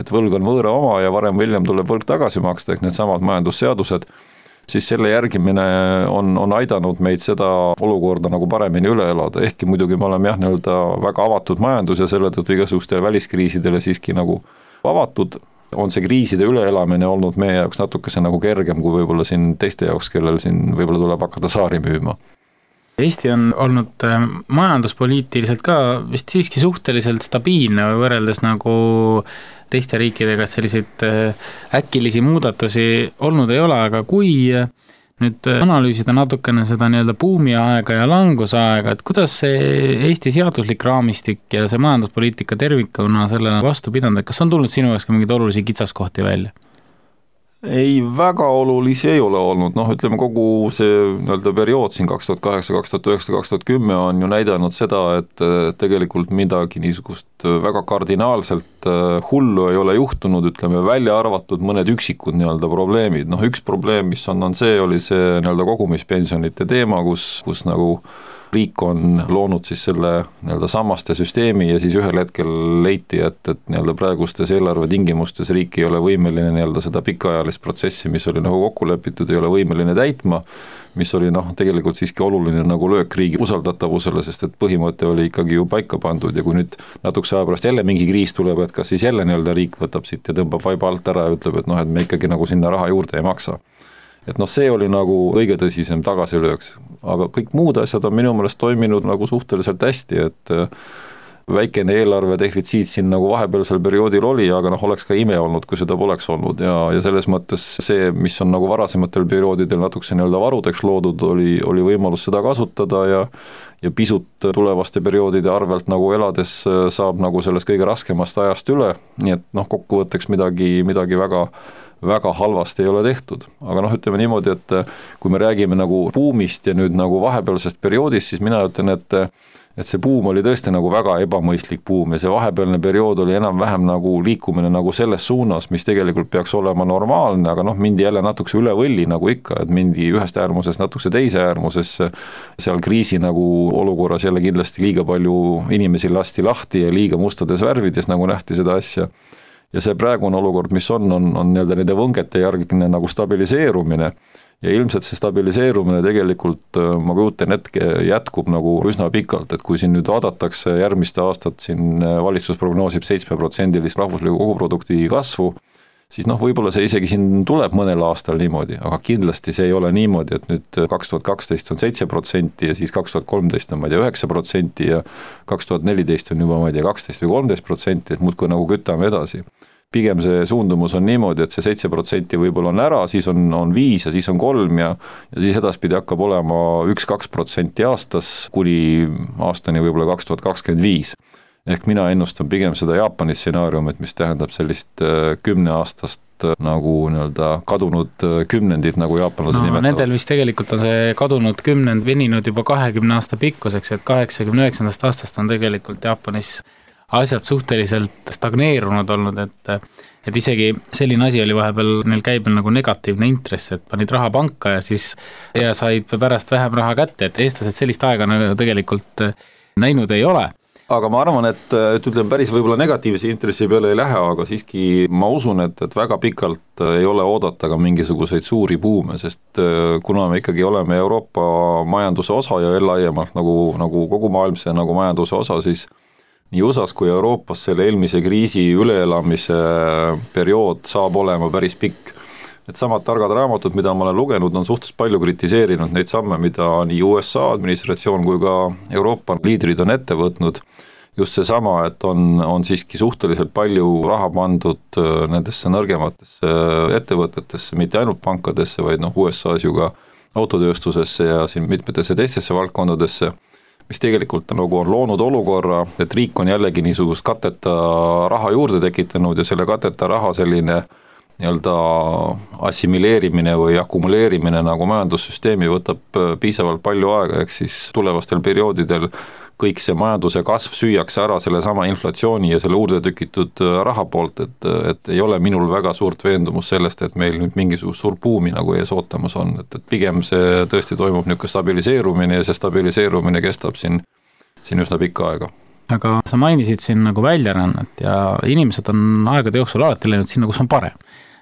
et võlg on võõra oma ja varem või hiljem tuleb võlg tagasi maksta, ehk need samad majandusseadused, siis selle järgimine on, on aidanud meid seda olukorda nagu paremini üle elada, ehkki muidugi me oleme jah, nii-öelda väga avatud majandus ja selle tõttu igasugustele väliskriisidele siiski nagu avatud, on see kriiside üleelamine olnud meie jaoks natukese nagu kergem kui võib-olla siin teiste jaoks, kellel siin võib-olla tuleb hakata saari müüma. Eesti on olnud majanduspoliitiliselt ka vist siiski suhteliselt stabiilne või võrreldes nagu teiste riikidega, et selliseid äkilisi muudatusi olnud ei ole, aga kui nüüd analüüsida natukene seda nii-öelda buumiaega ja langusaega, et kuidas see Eesti seaduslik raamistik ja see majanduspoliitika tervikuna sellele vastu pidanud, et kas on tulnud sinu jaoks ka mingeid olulisi kitsaskohti välja? Ei, väga olulisi ei ole olnud, noh ütleme kogu see nii-öelda periood siin kaks tuhat kaheksa, kaks tuhat üheksa, kaks tuhat kümme on ju näidanud seda, et tegelikult midagi niisugust väga kardinaalselt hullu ei ole juhtunud, ütleme välja arvatud mõned üksikud nii-öelda probleemid, noh üks probleem, mis on, on see, oli see nii-öelda kogumispensionite teema, kus, kus nagu riik on loonud siis selle nii-öelda sammaste süsteemi ja siis ühel hetkel leiti, et, et nii-öelda praegustes eelarve tingimustes riik ei ole võimeline nii-öelda seda pikaajalist protsessi, mis oli nagu kokku lepitud, ei ole võimeline täitma, mis oli noh, tegelikult siiski oluline nagu löök riigi usaldatavusele, sest et põhimõte oli ikkagi ju paika pandud ja kui nüüd natukese aja pärast jälle mingi kriis tuleb, et kas siis jälle nii-öelda riik võtab siit ja tõmbab vaiba alt ära ja ütleb, et noh, et me ikkagi nagu sinna raha juurde ei maksa. Et noh, see oli nagu kõige tõsisem tagasilööks, aga kõik muud asjad on minu meelest toiminud nagu suhteliselt hästi, et väikene eelarve defitsiit siin nagu vahepealsel perioodil oli, aga noh, oleks ka ime olnud, kui seda poleks olnud ja, ja selles mõttes see, mis on nagu varasematel perioodidel natukese nii-öelda varudeks loodud, oli, oli võimalus seda kasutada ja ja pisut tulevaste perioodide arvelt nagu elades saab nagu sellest kõige raskemast ajast üle, nii et noh, kokkuvõtteks midagi, midagi väga väga halvasti ei ole tehtud, aga noh, ütleme niimoodi, et kui me räägime nagu buumist ja nüüd nagu vahepealsest perioodist, siis mina ütlen, et et see buum oli tõesti nagu väga ebamõistlik buum ja see vahepealne periood oli enam-vähem nagu liikumine nagu selles suunas, mis tegelikult peaks olema normaalne, aga noh, mindi jälle natukese üle võlli nagu ikka, et mindi ühest äärmusest natukese teise äärmusesse, seal kriisi nagu olukorras jälle kindlasti liiga palju inimesi lasti lahti ja liiga mustades värvides nagu nähti seda asja. Ja see praegune olukord, mis on, on, on nii-öelda nende võngete järgne nagu stabiliseerumine ja ilmselt see stabiliseerumine tegelikult, ma kujutan hetke, jätkub nagu üsna pikalt, et kui siin nüüd vaadatakse järgmiste aastat, siin valitsus prognoosib seitsme protsendilist rahvusliku koguprodukti kasvu, siis noh, võib-olla see isegi siin tuleb mõnel aastal niimoodi, aga kindlasti see ei ole niimoodi, et nüüd kaks tuhat kaksteist on seitse protsenti ja siis kaks tuhat kolmteist on, ma ei tea, üheksa protsenti ja kaks tuhat neliteist on juba, ma ei tea, kaksteist või kolmteist protsenti, et muudkui nagu kütame edasi. Pigem see suundumus on niimoodi, et see seitse protsenti võib-olla on ära, siis on, on viis ja siis on kolm ja, ja siis edaspidi hakkab olema üks-kaks protsenti aastas kuni aastani võib-olla kaks tuhat kakskümmend viis. Ehk mina ennustan pigem seda Jaapani stsenaariumit, mis tähendab sellist kümneaastast nagu nii-öelda kadunud kümnendit, nagu jaapanlased no, nimetavad. Nendel vist tegelikult on see kadunud kümnend veninud juba kahekümne aasta pikkuseks, et kaheksakümne üheksandast aastast on tegelikult Jaapanis asjad suhteliselt stagneerunud olnud, et et isegi selline asi oli vahepeal neil käibel nagu negatiivne intress, et panid raha panka ja siis ja said pärast vähem raha kätte, et eestlased sellist aega tegelikult näinud ei ole. Aga ma arvan, et, et ütleme päris võib-olla negatiivse intressi peale ei lähe, aga siiski ma usun, et, et väga pikalt ei ole oodata ka mingisuguseid suuri buume, sest kuna me ikkagi oleme Euroopa majanduse osa ja laiemalt nagu, nagu kogu maailmse nagu majanduse osa, siis nii U S A-s kui Euroopas selle eelmise kriisi üleelamise periood saab olema päris pikk. Et samad targad raamatud, mida ma olen lugenud, on suhteliselt palju kritiseerinud neid samme, mida nii U S A administratsioon kui ka Euroopa liidrid on ette võtnud. Just see sama, et on, on siiski suhteliselt palju raha pandud nendesse nõrgematesse ettevõtetesse, mitte ainult pankadesse, vaid noh, U S A-s ju ka autotööstusesse ja siin mitmetesse teistesse valdkondadesse, mis tegelikult nagu on loonud olukorra, et riik on jällegi niisugust kateta raha juurde tekitanud ja selle kateta raha selline nii-öelda assimileerimine või akumuleerimine nagu majandussüsteemi võtab piisavalt palju aega, ehk siis tulevastel perioodidel kõik see majanduse kasv süüakse ära selle sama inflatsiooni ja selle uurde tükitud raha poolt, et, et ei ole minul väga suurt veendumus sellest, et meil nüüd mingisugust suur buumi nagu ees ootamas on, et, et pigem see tõesti toimub niisugune stabiliseerumine ja see stabiliseerumine kestab siin, siin üsna pikka aega. Aga sa mainisid siin nagu väljarännet ja inimesed on aegade jooksul alati läinud sinna, kus on parem.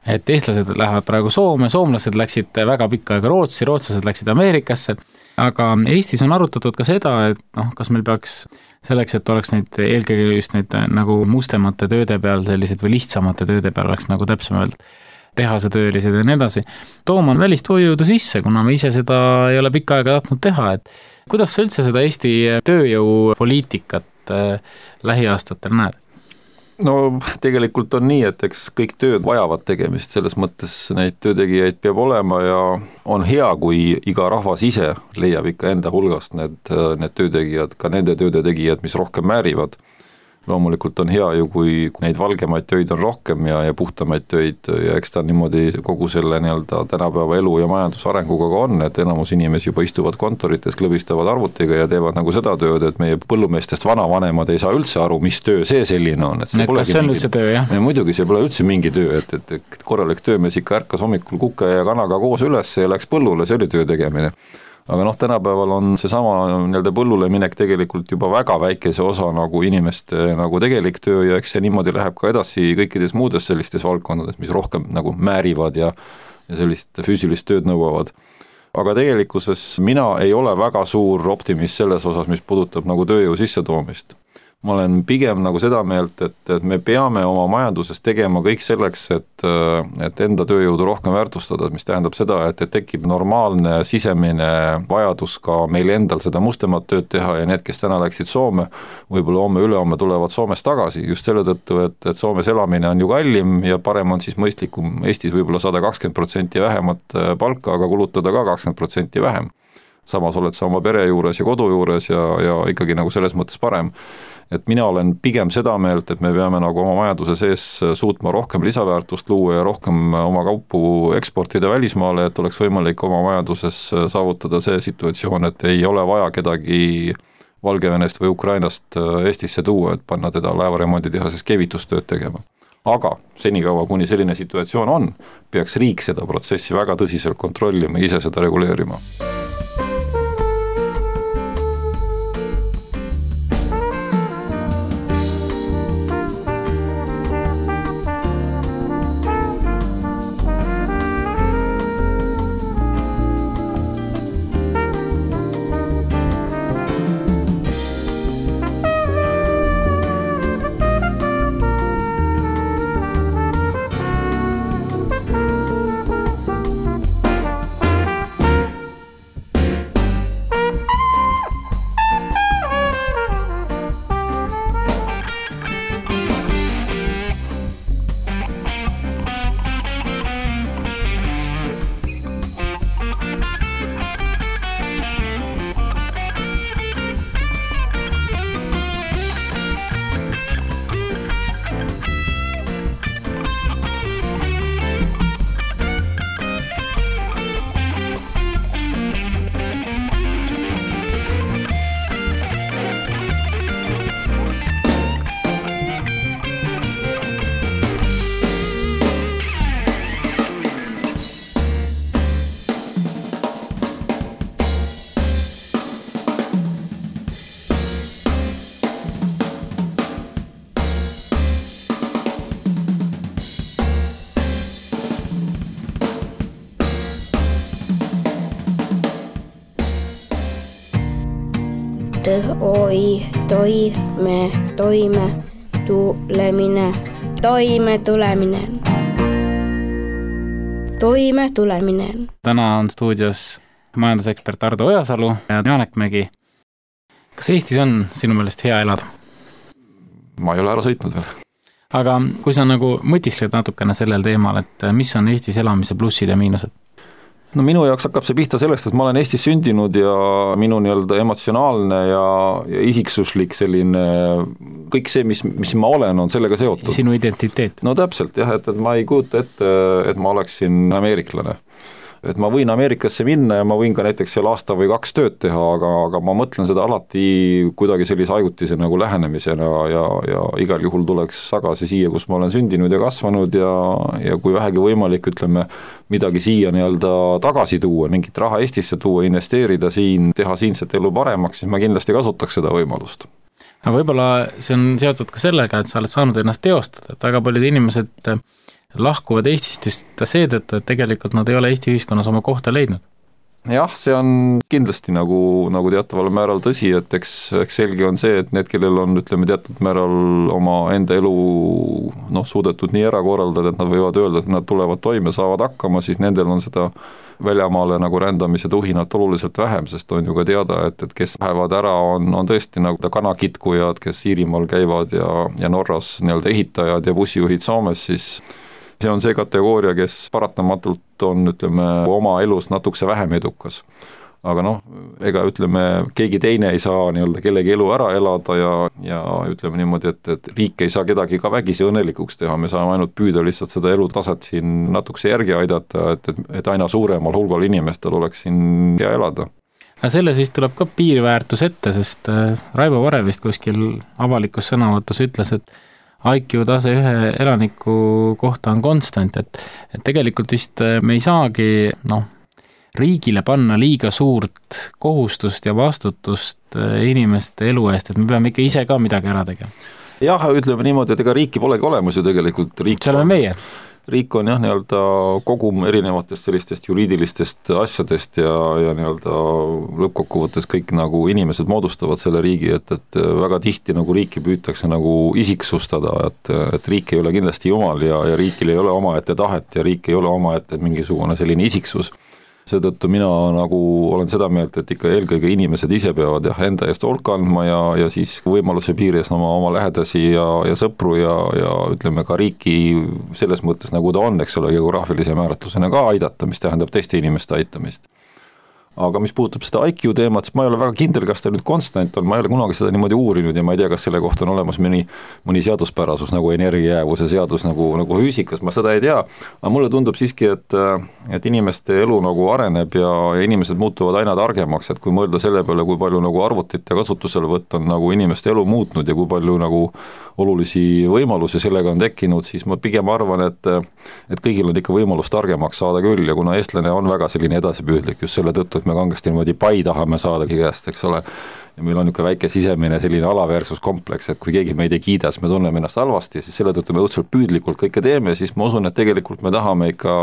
Et eestlased lähevad praegu Soome, soomlased läksid väga pikka aega Rootsi, rootslased läksid Ameerikasse, aga Eestis on arutatud ka seda, et noh, kas meil peaks selleks, et oleks neid eelkõige just neid nagu mustemate tööde peal sellised või lihtsamate tööde peal oleks nagu täpsemalt tehasetöölised ja nii edasi, tooma on välist hoiujõudu sisse, kuna me ise seda ei ole pikka aega tahtnud teha, et kuidas sa üldse seda Eesti tööjõupoliitikat lähiaastatel näed? No tegelikult on nii, et eks kõik tööd vajavad tegemist, selles mõttes neid töötegijaid peab olema ja on hea, kui iga rahvas ise leiab ikka enda hulgast need, need töötegijad, ka nende töötegijad, mis rohkem määrivad. Loomulikult on hea ju, kui neid valgemaid töid on rohkem ja, ja puhtamaid töid ja eks ta niimoodi kogu selle nii-öelda tänapäeva elu ja majandusarenguga ka on, et enamus inimesi juba istuvad kontorites, klõbistavad arvutiga ja teevad nagu seda tööd, et meie põllumeestest vanavanemad ei saa üldse aru, mis töö see selline on. Et see et kas see on mingi... üldse töö, jah? Ja muidugi see pole üldse mingi töö, et, et, et korralik töömees ikka ärkas hommikul kuke ja kanaga koos üles ja läks põllule, see oli töö tegemine. Aga noh, tänapäeval on seesama nii-öelda põllule minek tegelikult juba väga väikese osa nagu inimeste nagu tegelik töö ja eks see niimoodi läheb ka edasi kõikides muudes sellistes valdkondades, mis rohkem nagu määrivad ja, ja sellist füüsilist tööd nõuavad. Aga tegelikkuses mina ei ole väga suur optimist selles osas, mis puudutab nagu tööjõu sissetoomist. Ma olen pigem nagu seda meelt, et, et me peame oma majanduses tegema kõik selleks, et, et enda tööjõudu rohkem väärtustada, mis tähendab seda, et, et tekib normaalne sisemine vajadus ka meil endal seda mustemat tööd teha ja need, kes täna läksid Soome, võib-olla homme ülehomme tulevad Soomest tagasi, just selle tõttu, et, et Soomes elamine on ju kallim ja parem on siis mõistlikum Eestis võib-olla sada kakskümmend protsenti vähemat palka, aga kulutada ka kakskümmend protsenti vähem. Samas oled sa oma pere juures ja kodu juures ja, ja ikkagi nagu selles mõttes parem. Et mina olen pigem seda meelt, et me peame nagu oma majanduse sees suutma rohkem lisaväärtust luua ja rohkem oma kaupu eksportida välismaale, et oleks võimalik oma majanduses saavutada see situatsioon, et ei ole vaja kedagi Valgevenest või Ukrainast Eestisse tuua, et panna teda laevaremondi tehases keevitustööd tegema. Aga senikaua, kuni selline situatsioon on, peaks riik seda protsessi väga tõsiselt kontrollima ja ise seda reguleerima. oi, toime, toime, tulemine, toime tulemine. Toime tulemine. Täna on stuudios majandusekspert Ardo Ojasalu ja Janek Mägi. Kas Eestis on sinu meelest hea elada? Ma ei ole ära sõitnud veel. Aga kui sa nagu mõtiskled natukene sellel teemal, et mis on Eestis elamise plussid ja miinused? no minu jaoks hakkab see pihta sellest, et ma olen Eestis sündinud ja minu nii-öelda emotsionaalne ja, ja isiksuslik selline, kõik see, mis, mis ma olen, on sellega seotud. Sinu identiteet. No täpselt jah, et, et ma ei kujuta ette, et ma oleksin ameeriklane. Et ma võin Ameerikasse minna ja ma võin ka näiteks seal aasta või kaks tööd teha, aga, aga ma mõtlen seda alati kuidagi sellise ajutise nagu lähenemisena ja, ja igal juhul tuleks tagasi siia, kus ma olen sündinud ja kasvanud ja, ja kui vähegi võimalik, ütleme, midagi siia nii-öelda tagasi tuua, mingit raha Eestisse tuua, investeerida siin, teha siinset elu paremaks, siis ma kindlasti kasutaks seda võimalust. Aga võib-olla see on seotud ka sellega, et sa oled saanud ennast teostada, et väga paljud inimesed lahkuvad Eestist just seetõttu, et tegelikult nad ei ole Eesti ühiskonnas oma kohta leidnud. Jah, see on kindlasti nagu, nagu teataval määral tõsi, et eks, eks selge on see, et need, kellel on, ütleme, teatud määral oma enda elu noh, suudetud nii ära korraldada, et nad võivad öelda, et nad tulevad toime, saavad hakkama, siis nendel on seda väljamaale nagu rändamise tuhinat oluliselt vähem, sest on ju ka teada, et, et kes lähevad ära, on, on tõesti nagu kanakitkujad, kes Iirimaal käivad ja, ja Norras nii-öelda ehitajad ja bussijuhid Soomes, siis see on see kategooria, kes paratamatult on, ütleme, oma elus natukese vähem edukas. Aga noh, ega ütleme, keegi teine ei saa nii-öelda kellegi elu ära elada ja, ja ütleme niimoodi, et, et riik ei saa kedagi ka vägisi õnnelikuks teha, me saame ainult püüda lihtsalt seda elutaset siin natukese järgi aidata, et, et, et aina suuremal hulgal inimestel oleks siin hea elada. Aga selles vist tuleb ka piirväärtus ette, sest Raivo Vare vist kuskil avalikus sõnavõtus ütles, et I Q tase ühe elaniku kohta on konstant, et, et tegelikult vist me ei saagi noh, riigile panna liiga suurt kohustust ja vastutust inimeste elu eest, et me peame ikka ise ka midagi ära tegema. Jah, ütleme niimoodi, et ega riiki polegi olemas ju tegelikult. Riik see oleme meie. Riik on jah, nii-öelda kogum erinevatest sellistest juriidilistest asjadest ja, ja nii-öelda lõppkokkuvõttes kõik nagu inimesed moodustavad selle riigi, et, et väga tihti nagu riiki püütakse nagu isiksustada, et, et riik ei ole kindlasti jumal ja, ja riikil ei ole omaette tahet ja riik ei ole omaette mingisugune selline isiksus. Seetõttu mina nagu olen seda meelt, et ikka eelkõige inimesed ise peavad jah, enda eest hoolt kandma ja, ja siis võimaluse piires oma, oma lähedasi ja, ja sõpru ja, ja ütleme ka riiki selles mõttes, nagu ta on, eks ole, geograafilise määratlusena ka aidata, mis tähendab teiste inimeste aitamist. Aga mis puudutab seda I Q teemat, siis ma ei ole väga kindel, kas ta nüüd konstant on, ma ei ole kunagi seda niimoodi uurinud ja ma ei tea, kas selle kohta on olemas mõni, mõni seaduspärasus nagu energiajäävuse seadus nagu, nagu füüsikas, ma seda ei tea, aga mulle tundub siiski, et, et inimeste elu nagu areneb ja, ja inimesed muutuvad aina targemaks, et kui mõelda selle peale, kui palju nagu arvutite kasutuselevõtt on nagu inimeste elu muutnud ja kui palju nagu olulisi võimalusi sellega on tekkinud, siis ma pigem arvan, et, et kõigil on ikka võimalus targemaks saada küll ja kuna eestlane on väga selline edasipüüdlik just selle tõttu, et me kangesti niimoodi pai tahame saadagi käest, eks ole, ja meil on niisugune väike sisemine selline alaväärsuskompleks, et kui keegi meid ei kiida, siis me tunneme ennast halvasti, siis selle tõttu me õudselt püüdlikult kõike teeme, siis ma usun, et tegelikult me tahame ikka,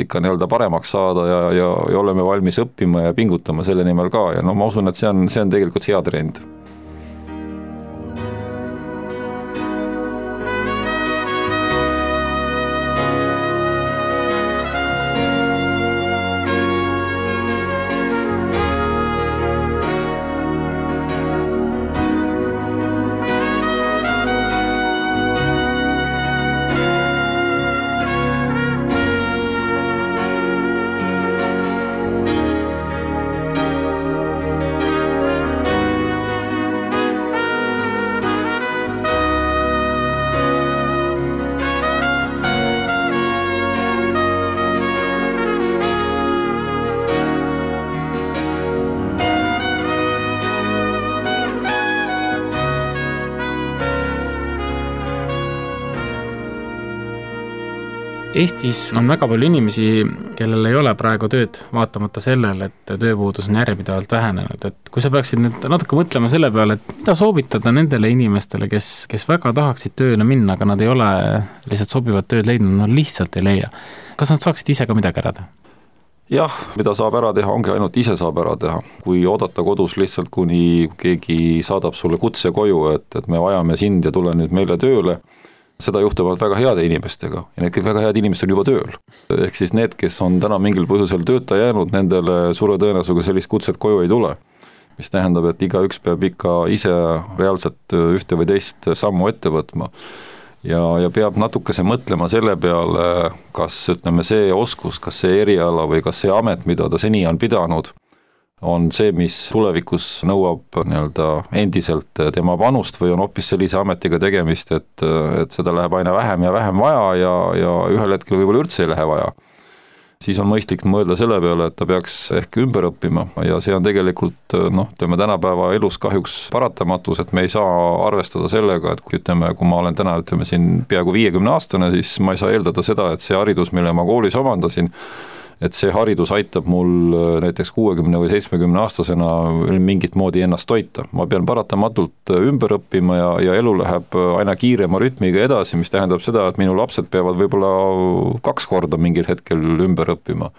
ikka nii-öelda paremaks saada ja, ja, ja oleme valmis õppima ja pingutama selle nimel ka ja no ma usun, et see on, see on tegelikult hea trend. Eestis on väga palju inimesi, kellel ei ole praegu tööd, vaatamata sellele, et tööpuudus on järjepidevalt vähenenud. Et kui sa peaksid nüüd natuke mõtlema selle peale, et mida soovitada nendele inimestele, kes, kes väga tahaksid tööle minna, aga nad ei ole lihtsalt sobivat tööd leidnud, nad lihtsalt ei leia. Kas nad saaksid ise ka midagi ära teha? Jah, mida saab ära teha, ongi ainult ise saab ära teha. Kui oodata kodus lihtsalt, kuni keegi saadab sulle kutse koju, et, et me vajame sind ja tule nüüd meile tööle, seda juhtuvad väga heade inimestega ja need väga head inimesed on juba tööl. Ehk siis need, kes on täna mingil põhjusel tööta jäänud, nendele suure tõenäosusega sellist kutset koju ei tule. Mis tähendab, et igaüks peab ikka ise reaalselt ühte või teist sammu ette võtma. ja, ja peab natukese mõtlema selle peale, kas ütleme see oskus, kas see eriala või kas see amet, mida ta seni on pidanud, on see, mis tulevikus nõuab nii-öelda endiselt tema panust või on hoopis sellise ametiga tegemist, et, et seda läheb aina vähem ja vähem vaja ja, ja ühel hetkel võib-olla üldse ei lähe vaja. Siis on mõistlik mõelda selle peale, et ta peaks ehk ümber õppima ja see on tegelikult noh, ütleme tänapäeva elus kahjuks paratamatus, et me ei saa arvestada sellega, et kui ütleme, kui ma olen täna ütleme siin peaaegu viiekümne aastane, siis ma ei saa eeldada seda, et see haridus, mille ma koolis omandasin, et see haridus aitab mul näiteks kuuekümne või seitsmekümne aastasena mingit moodi ennast toita. Ma pean paratamatult ümber õppima ja, ja elu läheb aina kiirema rütmiga edasi, mis tähendab seda, et minu lapsed peavad võib-olla kaks korda mingil hetkel ümber õppima.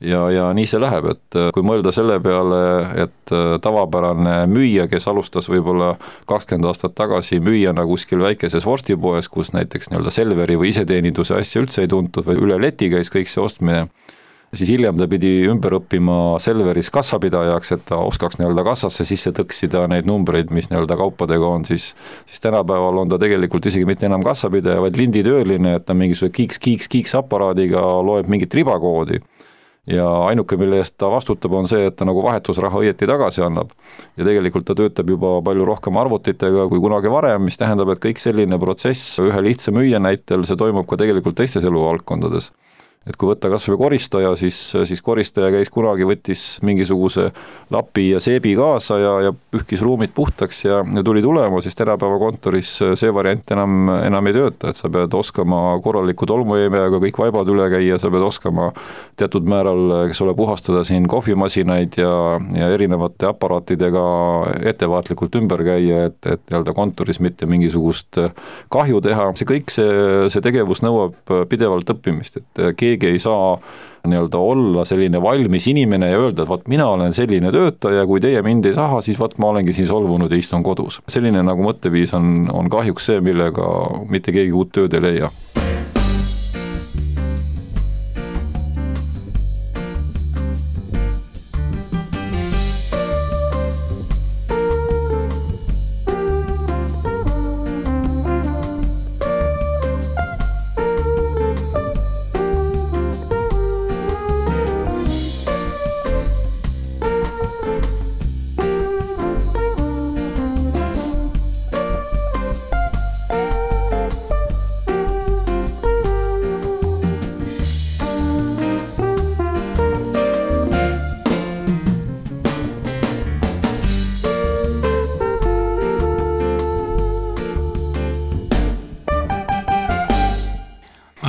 Ja, ja nii see läheb, et kui mõelda selle peale, et tavapärane müüja, kes alustas võib-olla kakskümmend aastat tagasi müüjana kuskil väikeses vorstipoes, kus näiteks nii-öelda Selveri või iseteeninduse asja üldse ei tuntud või üle leti käis kõik see ostmine, siis hiljem ta pidi ümber õppima Selveris kassapidajaks, et ta oskaks nii-öelda kassasse sisse tõksida neid numbreid, mis nii-öelda kaupadega on, siis, siis tänapäeval on ta tegelikult isegi mitte enam kassapidaja, vaid linditööline, et ta mingisuguse kiiks-kiiks-kiiks aparaadiga loeb mingit ribakoodi. Ja ainuke, mille eest ta vastutab, on see, et ta nagu vahetusraha õieti tagasi annab. Ja tegelikult ta töötab juba palju rohkem arvutitega kui kunagi varem, mis tähendab, et kõik selline protsess ühe lihtsa müüja näitel, see toimub ka tegelikult teistes eluvaldkondades. Et kui võtta kas või koristaja, siis, siis koristaja käis kunagi, võttis mingisuguse lapi ja seebi kaasa ja, ja pühkis ruumid puhtaks ja, ja tuli tulema, siis tänapäeva kontoris see variant enam, enam ei tööta, et sa pead oskama korraliku tolmueemejaga kõik vaibad üle käia, sa pead oskama teatud määral, kes ole puhastada siin kohvimasinaid ja, ja erinevate aparaatidega ettevaatlikult ümber käia, et, et nii-öelda kontoris mitte mingisugust kahju teha. See kõik see, see tegevus nõuab pidevalt õppimist, et keegi ei saa nii-öelda olla selline valmis inimene ja öelda, et vaat mina olen selline töötaja, kui teie mind ei saha, siis vaat ma olengi siin solvunud ja istun kodus. Selline nagu mõtteviis on, on kahjuks see, millega mitte keegi uut tööd ei leia.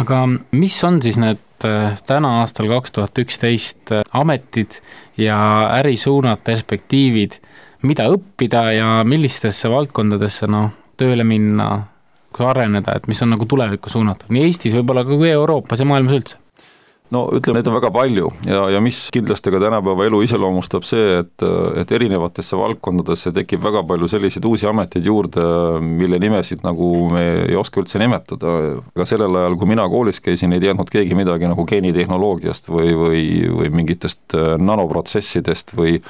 Aga mis on siis need täna aastal kaks tuhat üksteist ametid ja ärisuunad, perspektiivid, mida õppida ja millistesse valdkondadesse no, tööle minna, kui areneda, et mis on nagu tulevikku suunatud, nii Eestis võib-olla kui Euroopas ja maailmas üldse? No ütleme, neid on väga palju ja, ja mis kindlasti ka tänapäeva elu iseloomustab see, et, et erinevatesse valdkondadesse tekib väga palju selliseid uusi ameteid juurde, mille nimesid nagu me ei oska üldse nimetada. Aga sellel ajal, kui mina koolis käisin, ei teadnud keegi midagi nagu geenitehnoloogiast või, või, või mingitest nanoprotsessidest või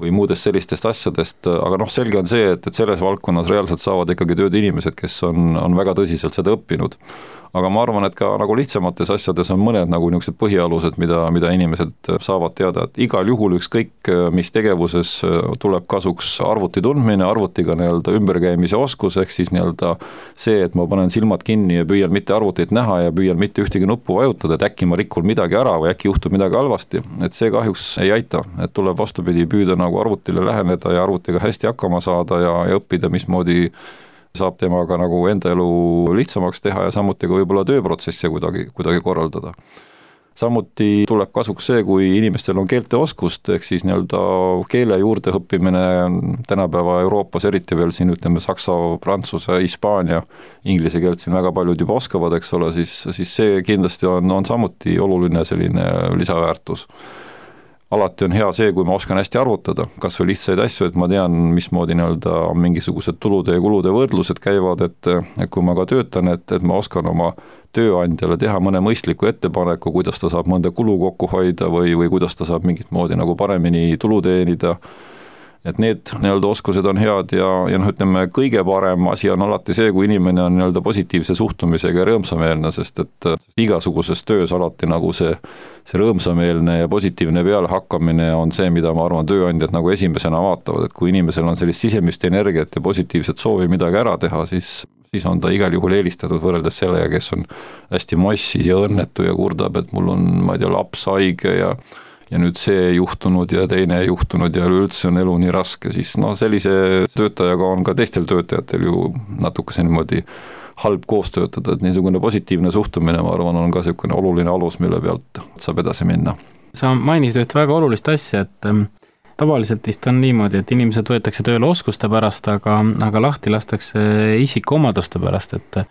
või muudest sellistest asjadest, aga noh, selge on see, et, et selles valdkonnas reaalselt saavad ikkagi tööd inimesed, kes on, on väga tõsiselt seda õppinud. Aga ma arvan, et ka nagu lihtsamates asjades on mõned nagu niisugused põhialused, mida, mida inimesed saavad teada, et igal juhul ükskõik, mis tegevuses tuleb kasuks arvuti tundmine, arvutiga nii-öelda ümberkäimise oskus, ehk siis nii-öelda see, et ma panen silmad kinni ja püüan mitte arvutit näha ja püüan mitte ühtegi nuppu vajutada, et äkki ma rikun midagi ära või äkki juhtub midagi halvasti, et see kahjuks ei aita, et tuleb vastupidi püüda nagu arvutile läheneda ja arvutiga hästi hakkama saada ja, ja õppida, mismoodi saab temaga nagu enda elu lihtsamaks teha ja samuti ka võib-olla tööprotsessi kuidagi, kuidagi korraldada. Samuti tuleb kasuks see, kui inimestel on keelteoskust, ehk siis nii-öelda keele juurde õppimine tänapäeva Euroopas, eriti veel siin ütleme saksa, prantsuse, hispaania, inglise keelt siin väga paljud juba oskavad, eks ole, siis, siis see kindlasti on, on samuti oluline selline lisaväärtus. Alati on hea see, kui ma oskan hästi arvutada, kas või lihtsaid asju, et ma tean, mismoodi nii-öelda mingisugused tulude ja kulude võrdlused käivad, et, et kui ma ka töötan, et, et ma oskan oma tööandjale teha mõne mõistliku ettepaneku, kuidas ta saab mõnda kulu kokku hoida või, või kuidas ta saab mingit moodi nagu paremini tulu teenida. et need nii-öelda oskused on head ja, ja noh, ütleme, kõige parem asi on alati see, kui inimene on nii-öelda positiivse suhtumisega ja rõõmsameelne, sest et igasuguses töös alati nagu see, see rõõmsameelne ja positiivne pealehakkamine on see, mida ma arvan, tööandjad nagu esimesena vaatavad, et kui inimesel on sellist sisemist energiat ja positiivset soovi midagi ära teha, siis siis on ta igal juhul eelistatud võrreldes sellega, kes on hästi massis ja õnnetu ja kurdab, et mul on, ma ei tea, laps haige ja ja nüüd see juhtunud ja teine juhtunud ja üldse on elu nii raske, siis no sellise töötajaga on ka teistel töötajatel ju natukese niimoodi halb koos töötada, et niisugune positiivne suhtumine, ma arvan, on ka niisugune oluline alus, mille pealt saab edasi minna. Sa mainisid üht väga olulist asja, et tavaliselt vist on niimoodi, et inimesed võetakse tööle oskuste pärast, aga, aga lahti lastakse isikuomaduste pärast, et,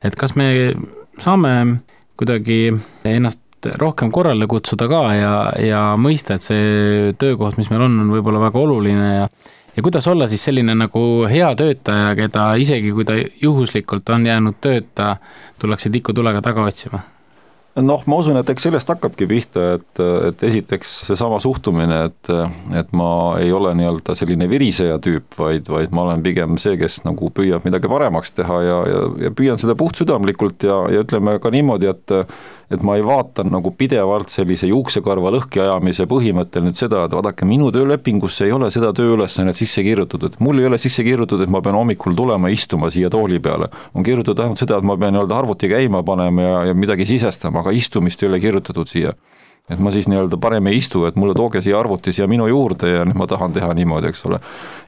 et kas me saame kuidagi ennast rohkem korrale kutsuda ka ja, ja mõista, et see töökoht, mis meil on, on võib-olla väga oluline ja ja kuidas olla siis selline nagu hea töötaja, keda isegi kui ta juhuslikult on jäänud tööta, tullakse tikutulega taga otsima? Noh, ma usun, et eks sellest hakkabki pihta, et, et esiteks seesama suhtumine, et, et ma ei ole nii-öelda selline viriseja tüüp, vaid, vaid ma olen pigem see, kes nagu püüab midagi paremaks teha ja, ja, ja püüan seda puhtsüdamlikult ja, ja ütleme ka niimoodi, et et ma ei vaata nagu pidevalt sellise juuksekarva lõhki ajamise põhimõttel nüüd seda, et vaadake, minu töölepingusse ei ole seda tööülesannet sisse kirjutatud, et mul ei ole sisse kirjutatud, et ma pean hommikul tulema istuma siia tooli peale. On kirjutatud ainult seda, et ma pean nii-öelda arvuti käima panema ja, ja midagi sisestama, aga istumist ei ole kirjutatud siia. Et ma siis nii-öelda parem ei istu, et mulle tooge siia arvuti siia minu juurde ja nüüd ma tahan teha niimoodi, eks ole.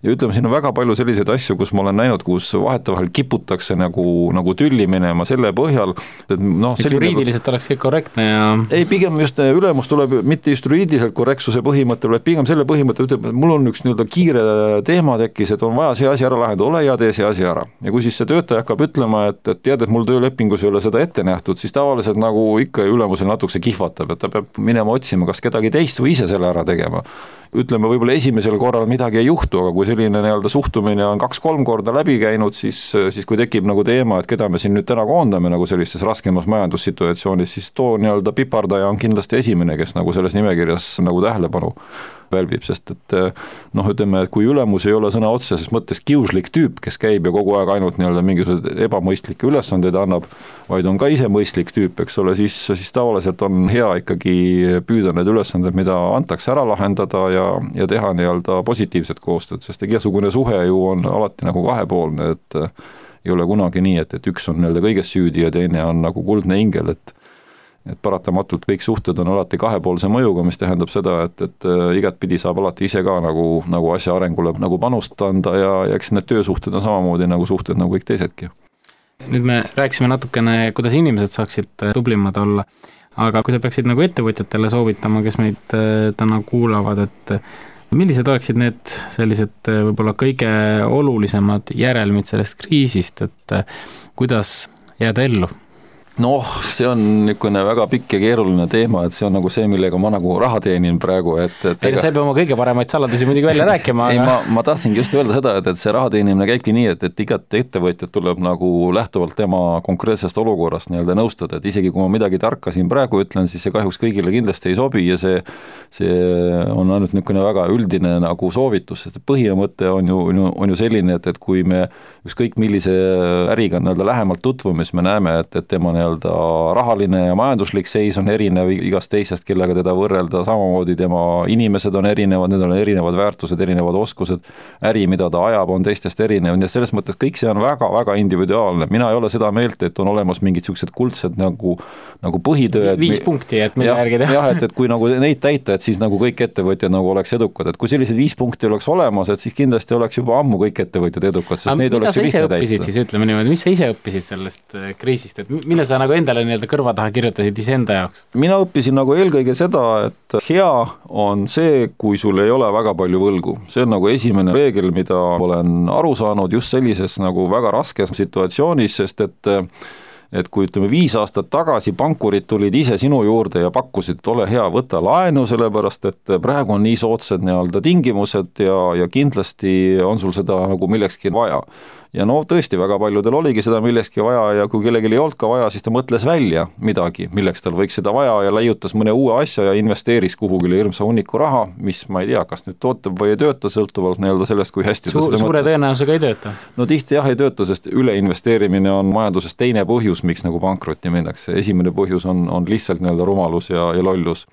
Ja ütleme, siin on väga palju selliseid asju, kus ma olen näinud, kus vahetevahel kiputakse nagu, nagu tülli minema selle põhjal, et noh, et juriidiliselt oleks kõik korrektne ja ei, pigem just ülemus tuleb mitte just juriidiliselt korrektsuse põhimõttel, vaid pigem selle põhimõttel ütleb, et mul on üks nii-öelda kiire teema tekkis, et on vaja see asi ära lahendada, ole hea, tee see asi ära. Ja kui siis see töötaja hakkab ütlema, et, et tead, et mul töölepingus ei ole seda ette nähtud, siis tavaliselt nagu ikka ülemusel natukese kihvatab, et ta peab minema otsima, kas kedagi teist või ise selle ära tegema. Ütleme, võib-olla esimesel korral midagi ei juhtu, aga kui selline nii-öelda suhtumine on kaks-kolm korda läbi käinud, siis, siis kui tekib nagu teema, et keda me siin nüüd täna koondame nagu sellistes raskemas majandussituatsioonis, siis too nii-öelda pipardaja on kindlasti esimene, kes nagu selles nimekirjas nagu tähelepanu välvib, sest et noh, ütleme, et kui ülemus ei ole sõna otseses mõttes kiuslik tüüp, kes käib ja kogu aeg ainult nii-öelda mingisugused ebamõistlikke ülesandeid annab, vaid on ka ise mõistlik tüüp, eks ole, siis, siis tavaliselt on hea ikkagi püüda need ülesanded, mida antakse ära lahendada ja, ja teha nii-öelda positiivset koostööd, sest igasugune suhe ju on alati nagu kahepoolne, et ei ole kunagi nii, et, et üks on nii-öelda kõiges süüdi ja teine on nagu kuldne ingel, et et paratamatult kõik suhted on alati kahepoolse mõjuga, mis tähendab seda, et, et igat pidi saab alati ise ka nagu, nagu asja arengule nagu panust anda ja, ja eks need töösuhted on samamoodi nagu suhted nagu kõik teisedki. Nüüd me rääkisime natukene, kuidas inimesed saaksid tublimad olla, aga kui sa peaksid nagu ettevõtjatele soovitama, kes meid täna kuulavad, et millised oleksid need sellised võib-olla kõige olulisemad järelmid sellest kriisist, et kuidas jääda ellu? Noh, see on niisugune väga pikk ja keeruline teema, et see on nagu see, millega ma nagu raha teenin praegu, et, et ei, sa ei pea oma kõige paremaid saladusi muidugi välja rääkima, ei, aga ma, ma tahtsingi just öelda seda, et, et see raha teenimine käibki nii, et, et igat ettevõtjat tuleb nagu lähtuvalt tema konkreetsest olukorrast nii-öelda nõustada, et isegi kui ma midagi tarka siin praegu ütlen, siis see kahjuks kõigile kindlasti ei sobi ja see, see on ainult niisugune väga üldine nagu soovitus, sest põhimõte on ju, on ju selline, et, et kui me ükskõik millise äriga nii-öelda lähemalt tutvume, siis me näeme, et, et tema nii-öelda rahaline ja majanduslik seis on erinev igast teisest, kellega teda võrrelda, samamoodi tema inimesed on erinevad, need on erinevad väärtused, erinevad oskused, äri, mida ta ajab, on teistest erinev, nii et selles mõttes kõik see on väga-väga individuaalne. Mina ei ole seda meelt, et on olemas mingid sellised kuldsed nagu, nagu põhitööd. Viis punkti, et mille järgi teha. Jah, et, et kui nagu neid täita, et siis nagu kõik ettevõtjad nagu oleks edukad, et kui sellised viis punkti oleks olemas, et siis kindlasti oleks juba ammu kõik ettevõtjad edukad, sest neid oleks ju lihtne täita. Siis ütleme niimoodi, mis sa ise õppisid sellest kriisist, et mille sa nagu endale nii-öelda kõrva taha kirjutasid iseenda jaoks? Mina õppisin nagu eelkõige seda, et hea on see, kui sul ei ole väga palju võlgu. See on nagu esimene reegel, mida olen aru saanud just sellises nagu väga raskes situatsioonis, sest et et kui ütleme viis aastat tagasi pankurid tulid ise sinu juurde ja pakkusid, et ole hea, võta laenu, sellepärast et praegu on nii soodsad nii-öelda tingimused ja, ja kindlasti on sul seda nagu millekski vaja. Ja no tõesti, väga paljudel oligi seda millekski vaja ja kui kellelgi ei olnud ka vaja, siis ta mõtles välja midagi, milleks tal võiks seda vaja ja leiutas mõne uue asja ja investeeris kuhugile hirmsa hunniku raha, mis ma ei tea, kas nüüd tootab või ei tööta, sõltuvalt nii-öelda sellest, kui hästi Su, ta suure tõenäosusega ei tööta? No tihti jah ei tööta, sest üleinvesteerimine on majanduses teine põhjus, miks nagu pankrotti minnakse. Esimene põhjus on, on lihtsalt nii-öelda rumalus ja, ja lollus.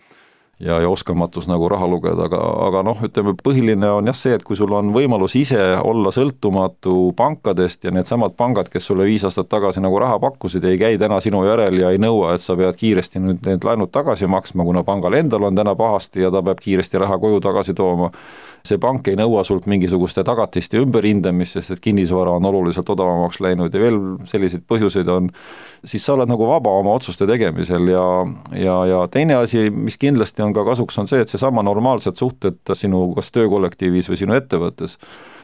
Ja, ja oskamatus nagu raha lugeda, aga, aga noh, ütleme, põhiline on jah see, et kui sul on võimalus ise olla sõltumatu pankadest ja need samad pangad, kes sulle viis aastat tagasi nagu raha pakkusid, ei käi täna sinu järel ja ei nõua, et sa pead kiiresti nüüd need laenud tagasi maksma, kuna pangal endal on täna pahasti ja ta peab kiiresti raha koju tagasi tooma. See pank ei nõua sult mingisuguste tagatiste ümberhindamist, sest et kinnisvara on oluliselt odavamaks läinud ja veel selliseid põhjuseid on, siis sa oled nagu vaba oma otsuste tegemisel ja, ja, ja teine asi, mis kindlasti on ka kasuks, on see, et see sama normaalsed suhted sinu kas töökollektiivis või sinu ettevõttes,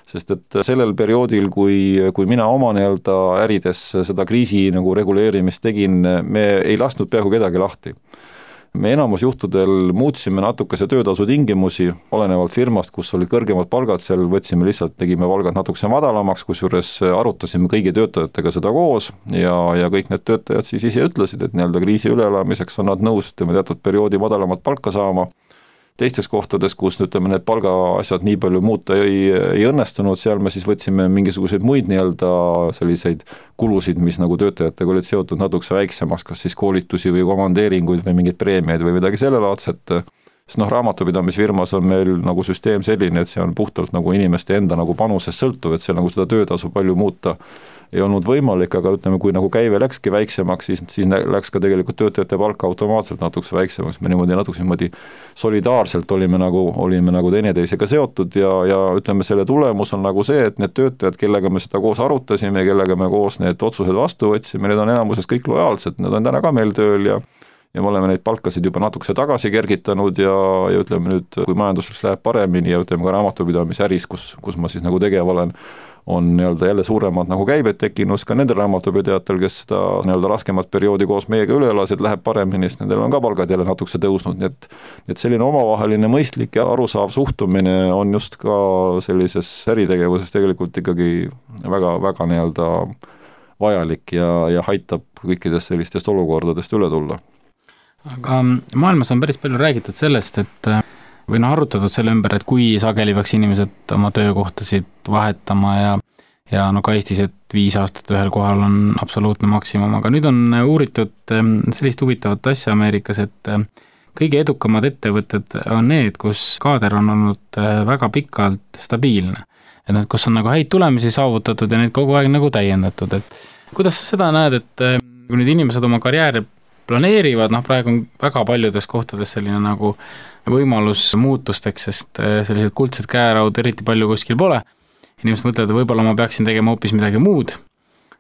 sest et sellel perioodil, kui, kui mina oma nii-öelda ärides seda kriisi nagu reguleerimist tegin, me ei lasknud peaaegu kedagi lahti. Me enamus juhtudel muutsime natukese töötasu tingimusi, olenevalt firmast, kus olid kõrgemad palgad, seal võtsime lihtsalt, tegime palgad natukese madalamaks, kusjuures arutasime kõigi töötajatega seda koos ja, ja kõik need töötajad siis ise ütlesid, et nii-öelda kriisi üleelamiseks on nad nõus teatud perioodi madalamat palka saama. Teistes kohtades, kus ütleme, need palgaasjad nii palju muuta ei, ei õnnestunud, seal me siis võtsime mingisuguseid muid nii-öelda selliseid kulusid, mis nagu töötajatega olid seotud natukese väiksemaks, kas siis koolitusi või komandeeringuid või mingeid preemiaid või midagi sellelaadset. Sest noh, raamatupidamisfirmas on meil nagu süsteem selline, et see on puhtalt nagu inimeste enda nagu panusest sõltuv, et see nagu seda töötasu palju muuta ei olnud võimalik, aga ütleme, kui nagu käive läkski väiksemaks, siis, siis läks ka tegelikult töötajate palka automaatselt natukese väiksemaks, me niimoodi natukese niimoodi solidaarselt olime nagu, olime nagu teineteisega seotud ja, ja ütleme, selle tulemus on nagu see, et need töötajad, kellega me seda koos arutasime, kellega me koos need otsused vastu võtsime, need on enamuses kõik lojaalsed, need on täna ka meil tööl ja ja me oleme neid palkasid juba natukese tagasi kergitanud ja, ja ütleme nüüd, kui majanduseks läheb paremini ja ütleme ka raamatupidamise äris, kus, kus ma siis nagu tegev olen, on nii-öelda jälle suuremad nagu käibed tekkinud ka nendel raamatupidajatel, kes seda nii-öelda raskemat perioodi koos meiega üle elasid, läheb paremini, sest nendel on ka palgad jälle natukese tõusnud, nii et, et selline omavaheline mõistlik ja arusaav suhtumine on just ka sellises äritegevuses tegelikult ikkagi väga, väga nii-öelda vajalik ja, ja aitab kõikidest sellistest olukordadest üle tulla. Aga maailmas on päris palju räägitud sellest, et või noh, arutatud selle ümber, et kui sageli peaks inimesed oma töökohtasid vahetama ja, ja no ka Eestis, et viis aastat ühel kohal on absoluutne maksimum, aga nüüd on uuritud sellist huvitavat asja Ameerikas, et kõige edukamad ettevõtted on need, kus kaader on olnud väga pikalt stabiilne. Et need, kus on nagu häid tulemusi saavutatud ja neid kogu aeg nagu täiendatud, et kuidas sa seda näed, et kui nüüd inimesed oma karjääri planeerivad, noh praegu on väga paljudes kohtades selline nagu võimalus muutusteks, sest sellised kuldsed käeraud eriti palju kuskil pole. Inimesed mõtlevad, et võib-olla ma peaksin tegema hoopis midagi muud.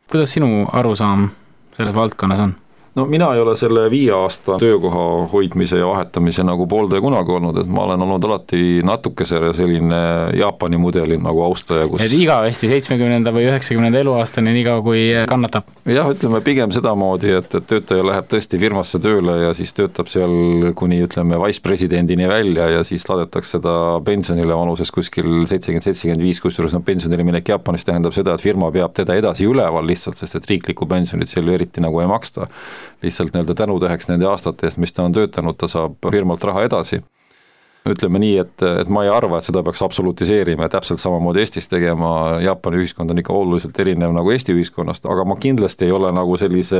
Kuidas sinu arusaam selles valdkonnas on? No mina ei ole selle viie aasta töökoha hoidmise ja vahetamise nagu pooldaja kunagi olnud, et ma olen olnud alati natukese selline Jaapani mudeli nagu austaja, kus et igavesti seitsmekümnenda või üheksakümnenda eluaastani nii kaua kui kannatab? Jah, ütleme pigem sedamoodi, et, et töötaja läheb tõesti firmasse tööle ja siis töötab seal kuni ütleme vicepresidendini välja ja siis laadetakse ta pensionile vanuses kuskil seitsekümmend seitsekümmend viis, kusjuures no pensionile minek Jaapanis tähendab seda, et firma peab teda edasi üleval lihtsalt, sest et riiklikku pensionit seal eriti nagu ei maksta. Lihtsalt nii-öelda tänutäheks nende aastate eest, mis ta on töötanud, ta saab firmalt raha edasi. Ütleme nii, et, et ma ei arva, et seda peaks absolutiseerima ja täpselt samamoodi Eestis tegema, Jaapani ühiskond on ikka oluliselt erinev nagu Eesti ühiskonnast, aga ma kindlasti ei ole nagu sellise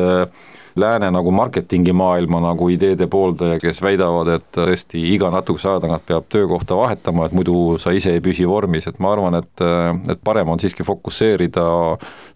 lääne nagu marketingi maailma nagu ideede pooldaja, kes väidavad, et tõesti iga natukese aja tagant peab töökohta vahetama, et muidu sa ise ei püsi vormis, et ma arvan, et, et parem on siiski fokusseerida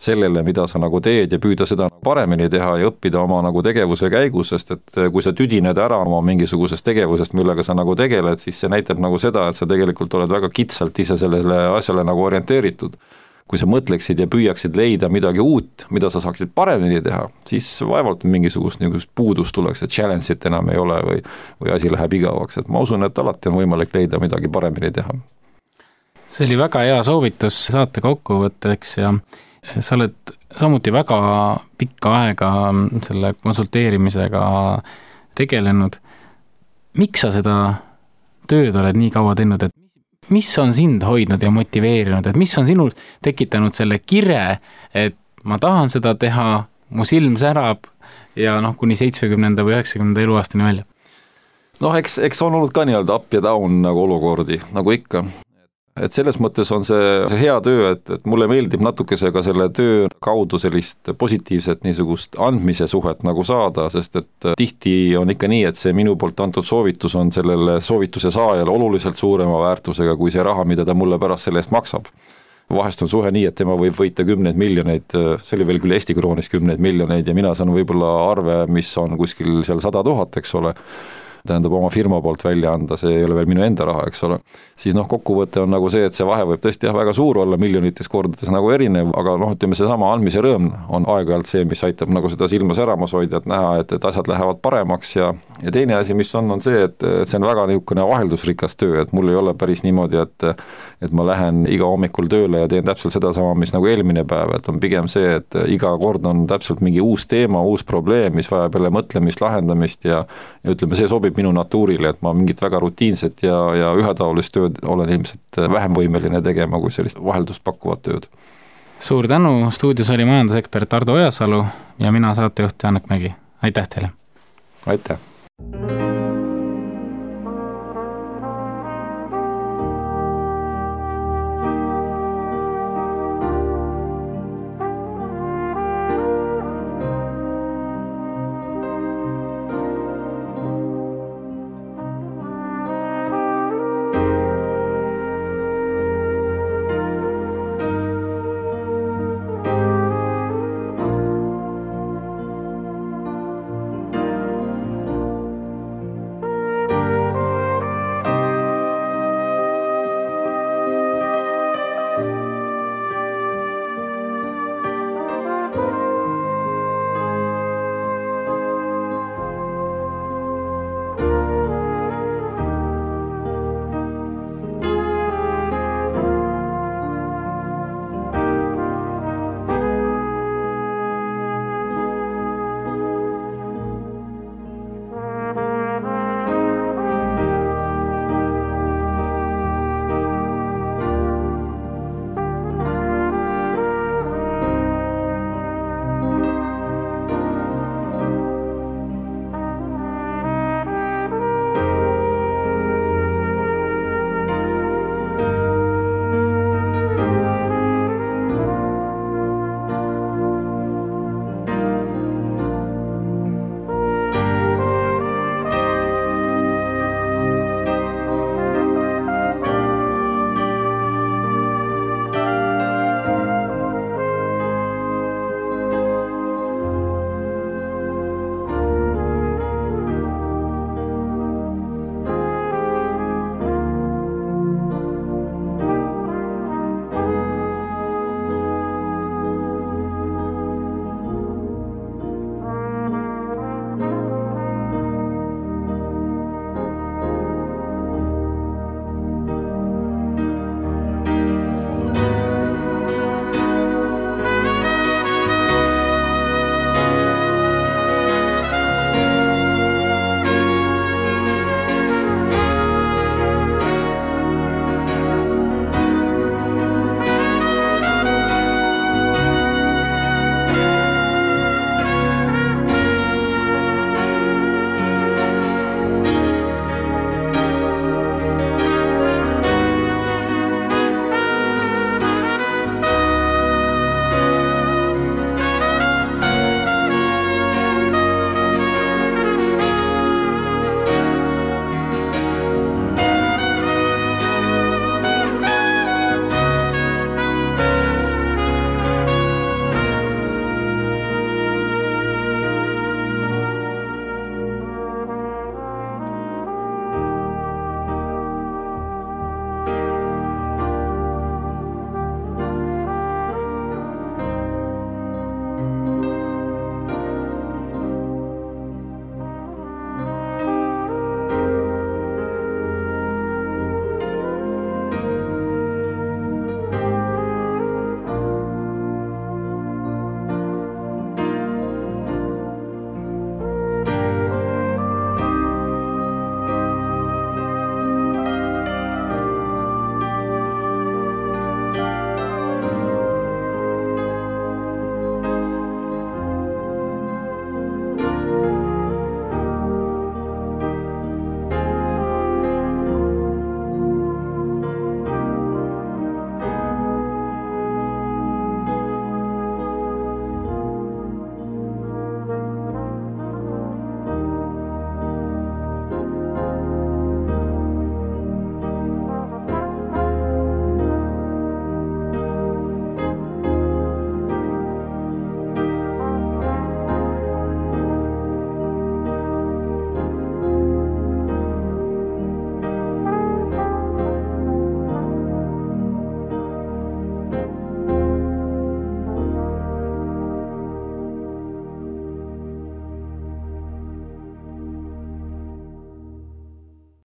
sellele, mida sa nagu teed ja püüda seda paremini teha ja õppida oma nagu tegevuse käigus, sest et kui sa tüdined ära oma mingisugusest tegevusest, millega sa nagu tegeled, siis see näitab nagu seda, et sa tegelikult oled väga kitsalt ise sellele asjale nagu orienteeritud. Kui sa mõtleksid ja püüaksid leida midagi uut, mida sa saaksid paremini teha, siis vaevalt mingisugust niisugust puudust tuleks, et challenge'it enam ei ole või, või asi läheb igavaks, et ma usun, et alati on võimalik leida midagi paremini teha. See oli väga hea soovitus saate kokkuvõtteks ja sa oled samuti väga pikka aega selle konsulteerimisega tegelenud. Miks sa seda tööd oled nii kaua teinud, et mis on sind hoidnud ja motiveerinud, et mis on sinul tekitanud selle kire, et ma tahan seda teha, mu silm särab ja noh, kuni seitsmekümnenda või üheksakümnenda eluaastani välja? Noh, eks, eks on olnud ka nii-öelda up ja down nagu olukordi, nagu ikka. Et selles mõttes on see, see hea töö, et, et mulle meeldib natukese ka selle töö kaudu sellist positiivset niisugust andmise suhet nagu saada, sest et tihti on ikka nii, et see minu poolt antud soovitus on sellele soovituse saajale oluliselt suurema väärtusega kui see raha, mida ta mulle pärast selle eest maksab. Vahest on suhe nii, et tema võib võita kümneid miljoneid, see oli veel küll Eesti kroonis kümneid miljoneid ja mina saan võib-olla arve, mis on kuskil seal sada tuhat, eks ole, tähendab oma firma poolt välja anda, see ei ole veel minu enda raha, eks ole, siis noh, kokkuvõte on nagu see, et see vahe võib tõesti jah, väga suur olla, miljonites kordades nagu erinev, aga noh, ütleme see sama andmise rõõm on aeg-ajalt see, mis aitab nagu seda silma säramas hoida, et näha, et, et asjad lähevad paremaks ja, ja teine asi, mis on, on see, et, et see on väga niisugune vaheldusrikas töö, et mul ei ole päris niimoodi, et et ma lähen iga hommikul tööle ja teen täpselt seda sama, mis nagu eelmine päev, et on pigem see, et iga kord on täpselt mingi uus teema, uus probleem, mis vajab jälle mõtlemist, lahendamist ja, ja ütleme, see sobib minu natuurile, et ma mingit väga rutiinset ja, ja ühetaolist tööd olen ilmselt vähem võimeline tegema kui sellist vaheldust pakkuvat tööd. Suur tänu, stuudios oli majandusekspert Ardo Ojasalu ja mina saatejuht Janek Mägi. Aitäh teile! Aitäh!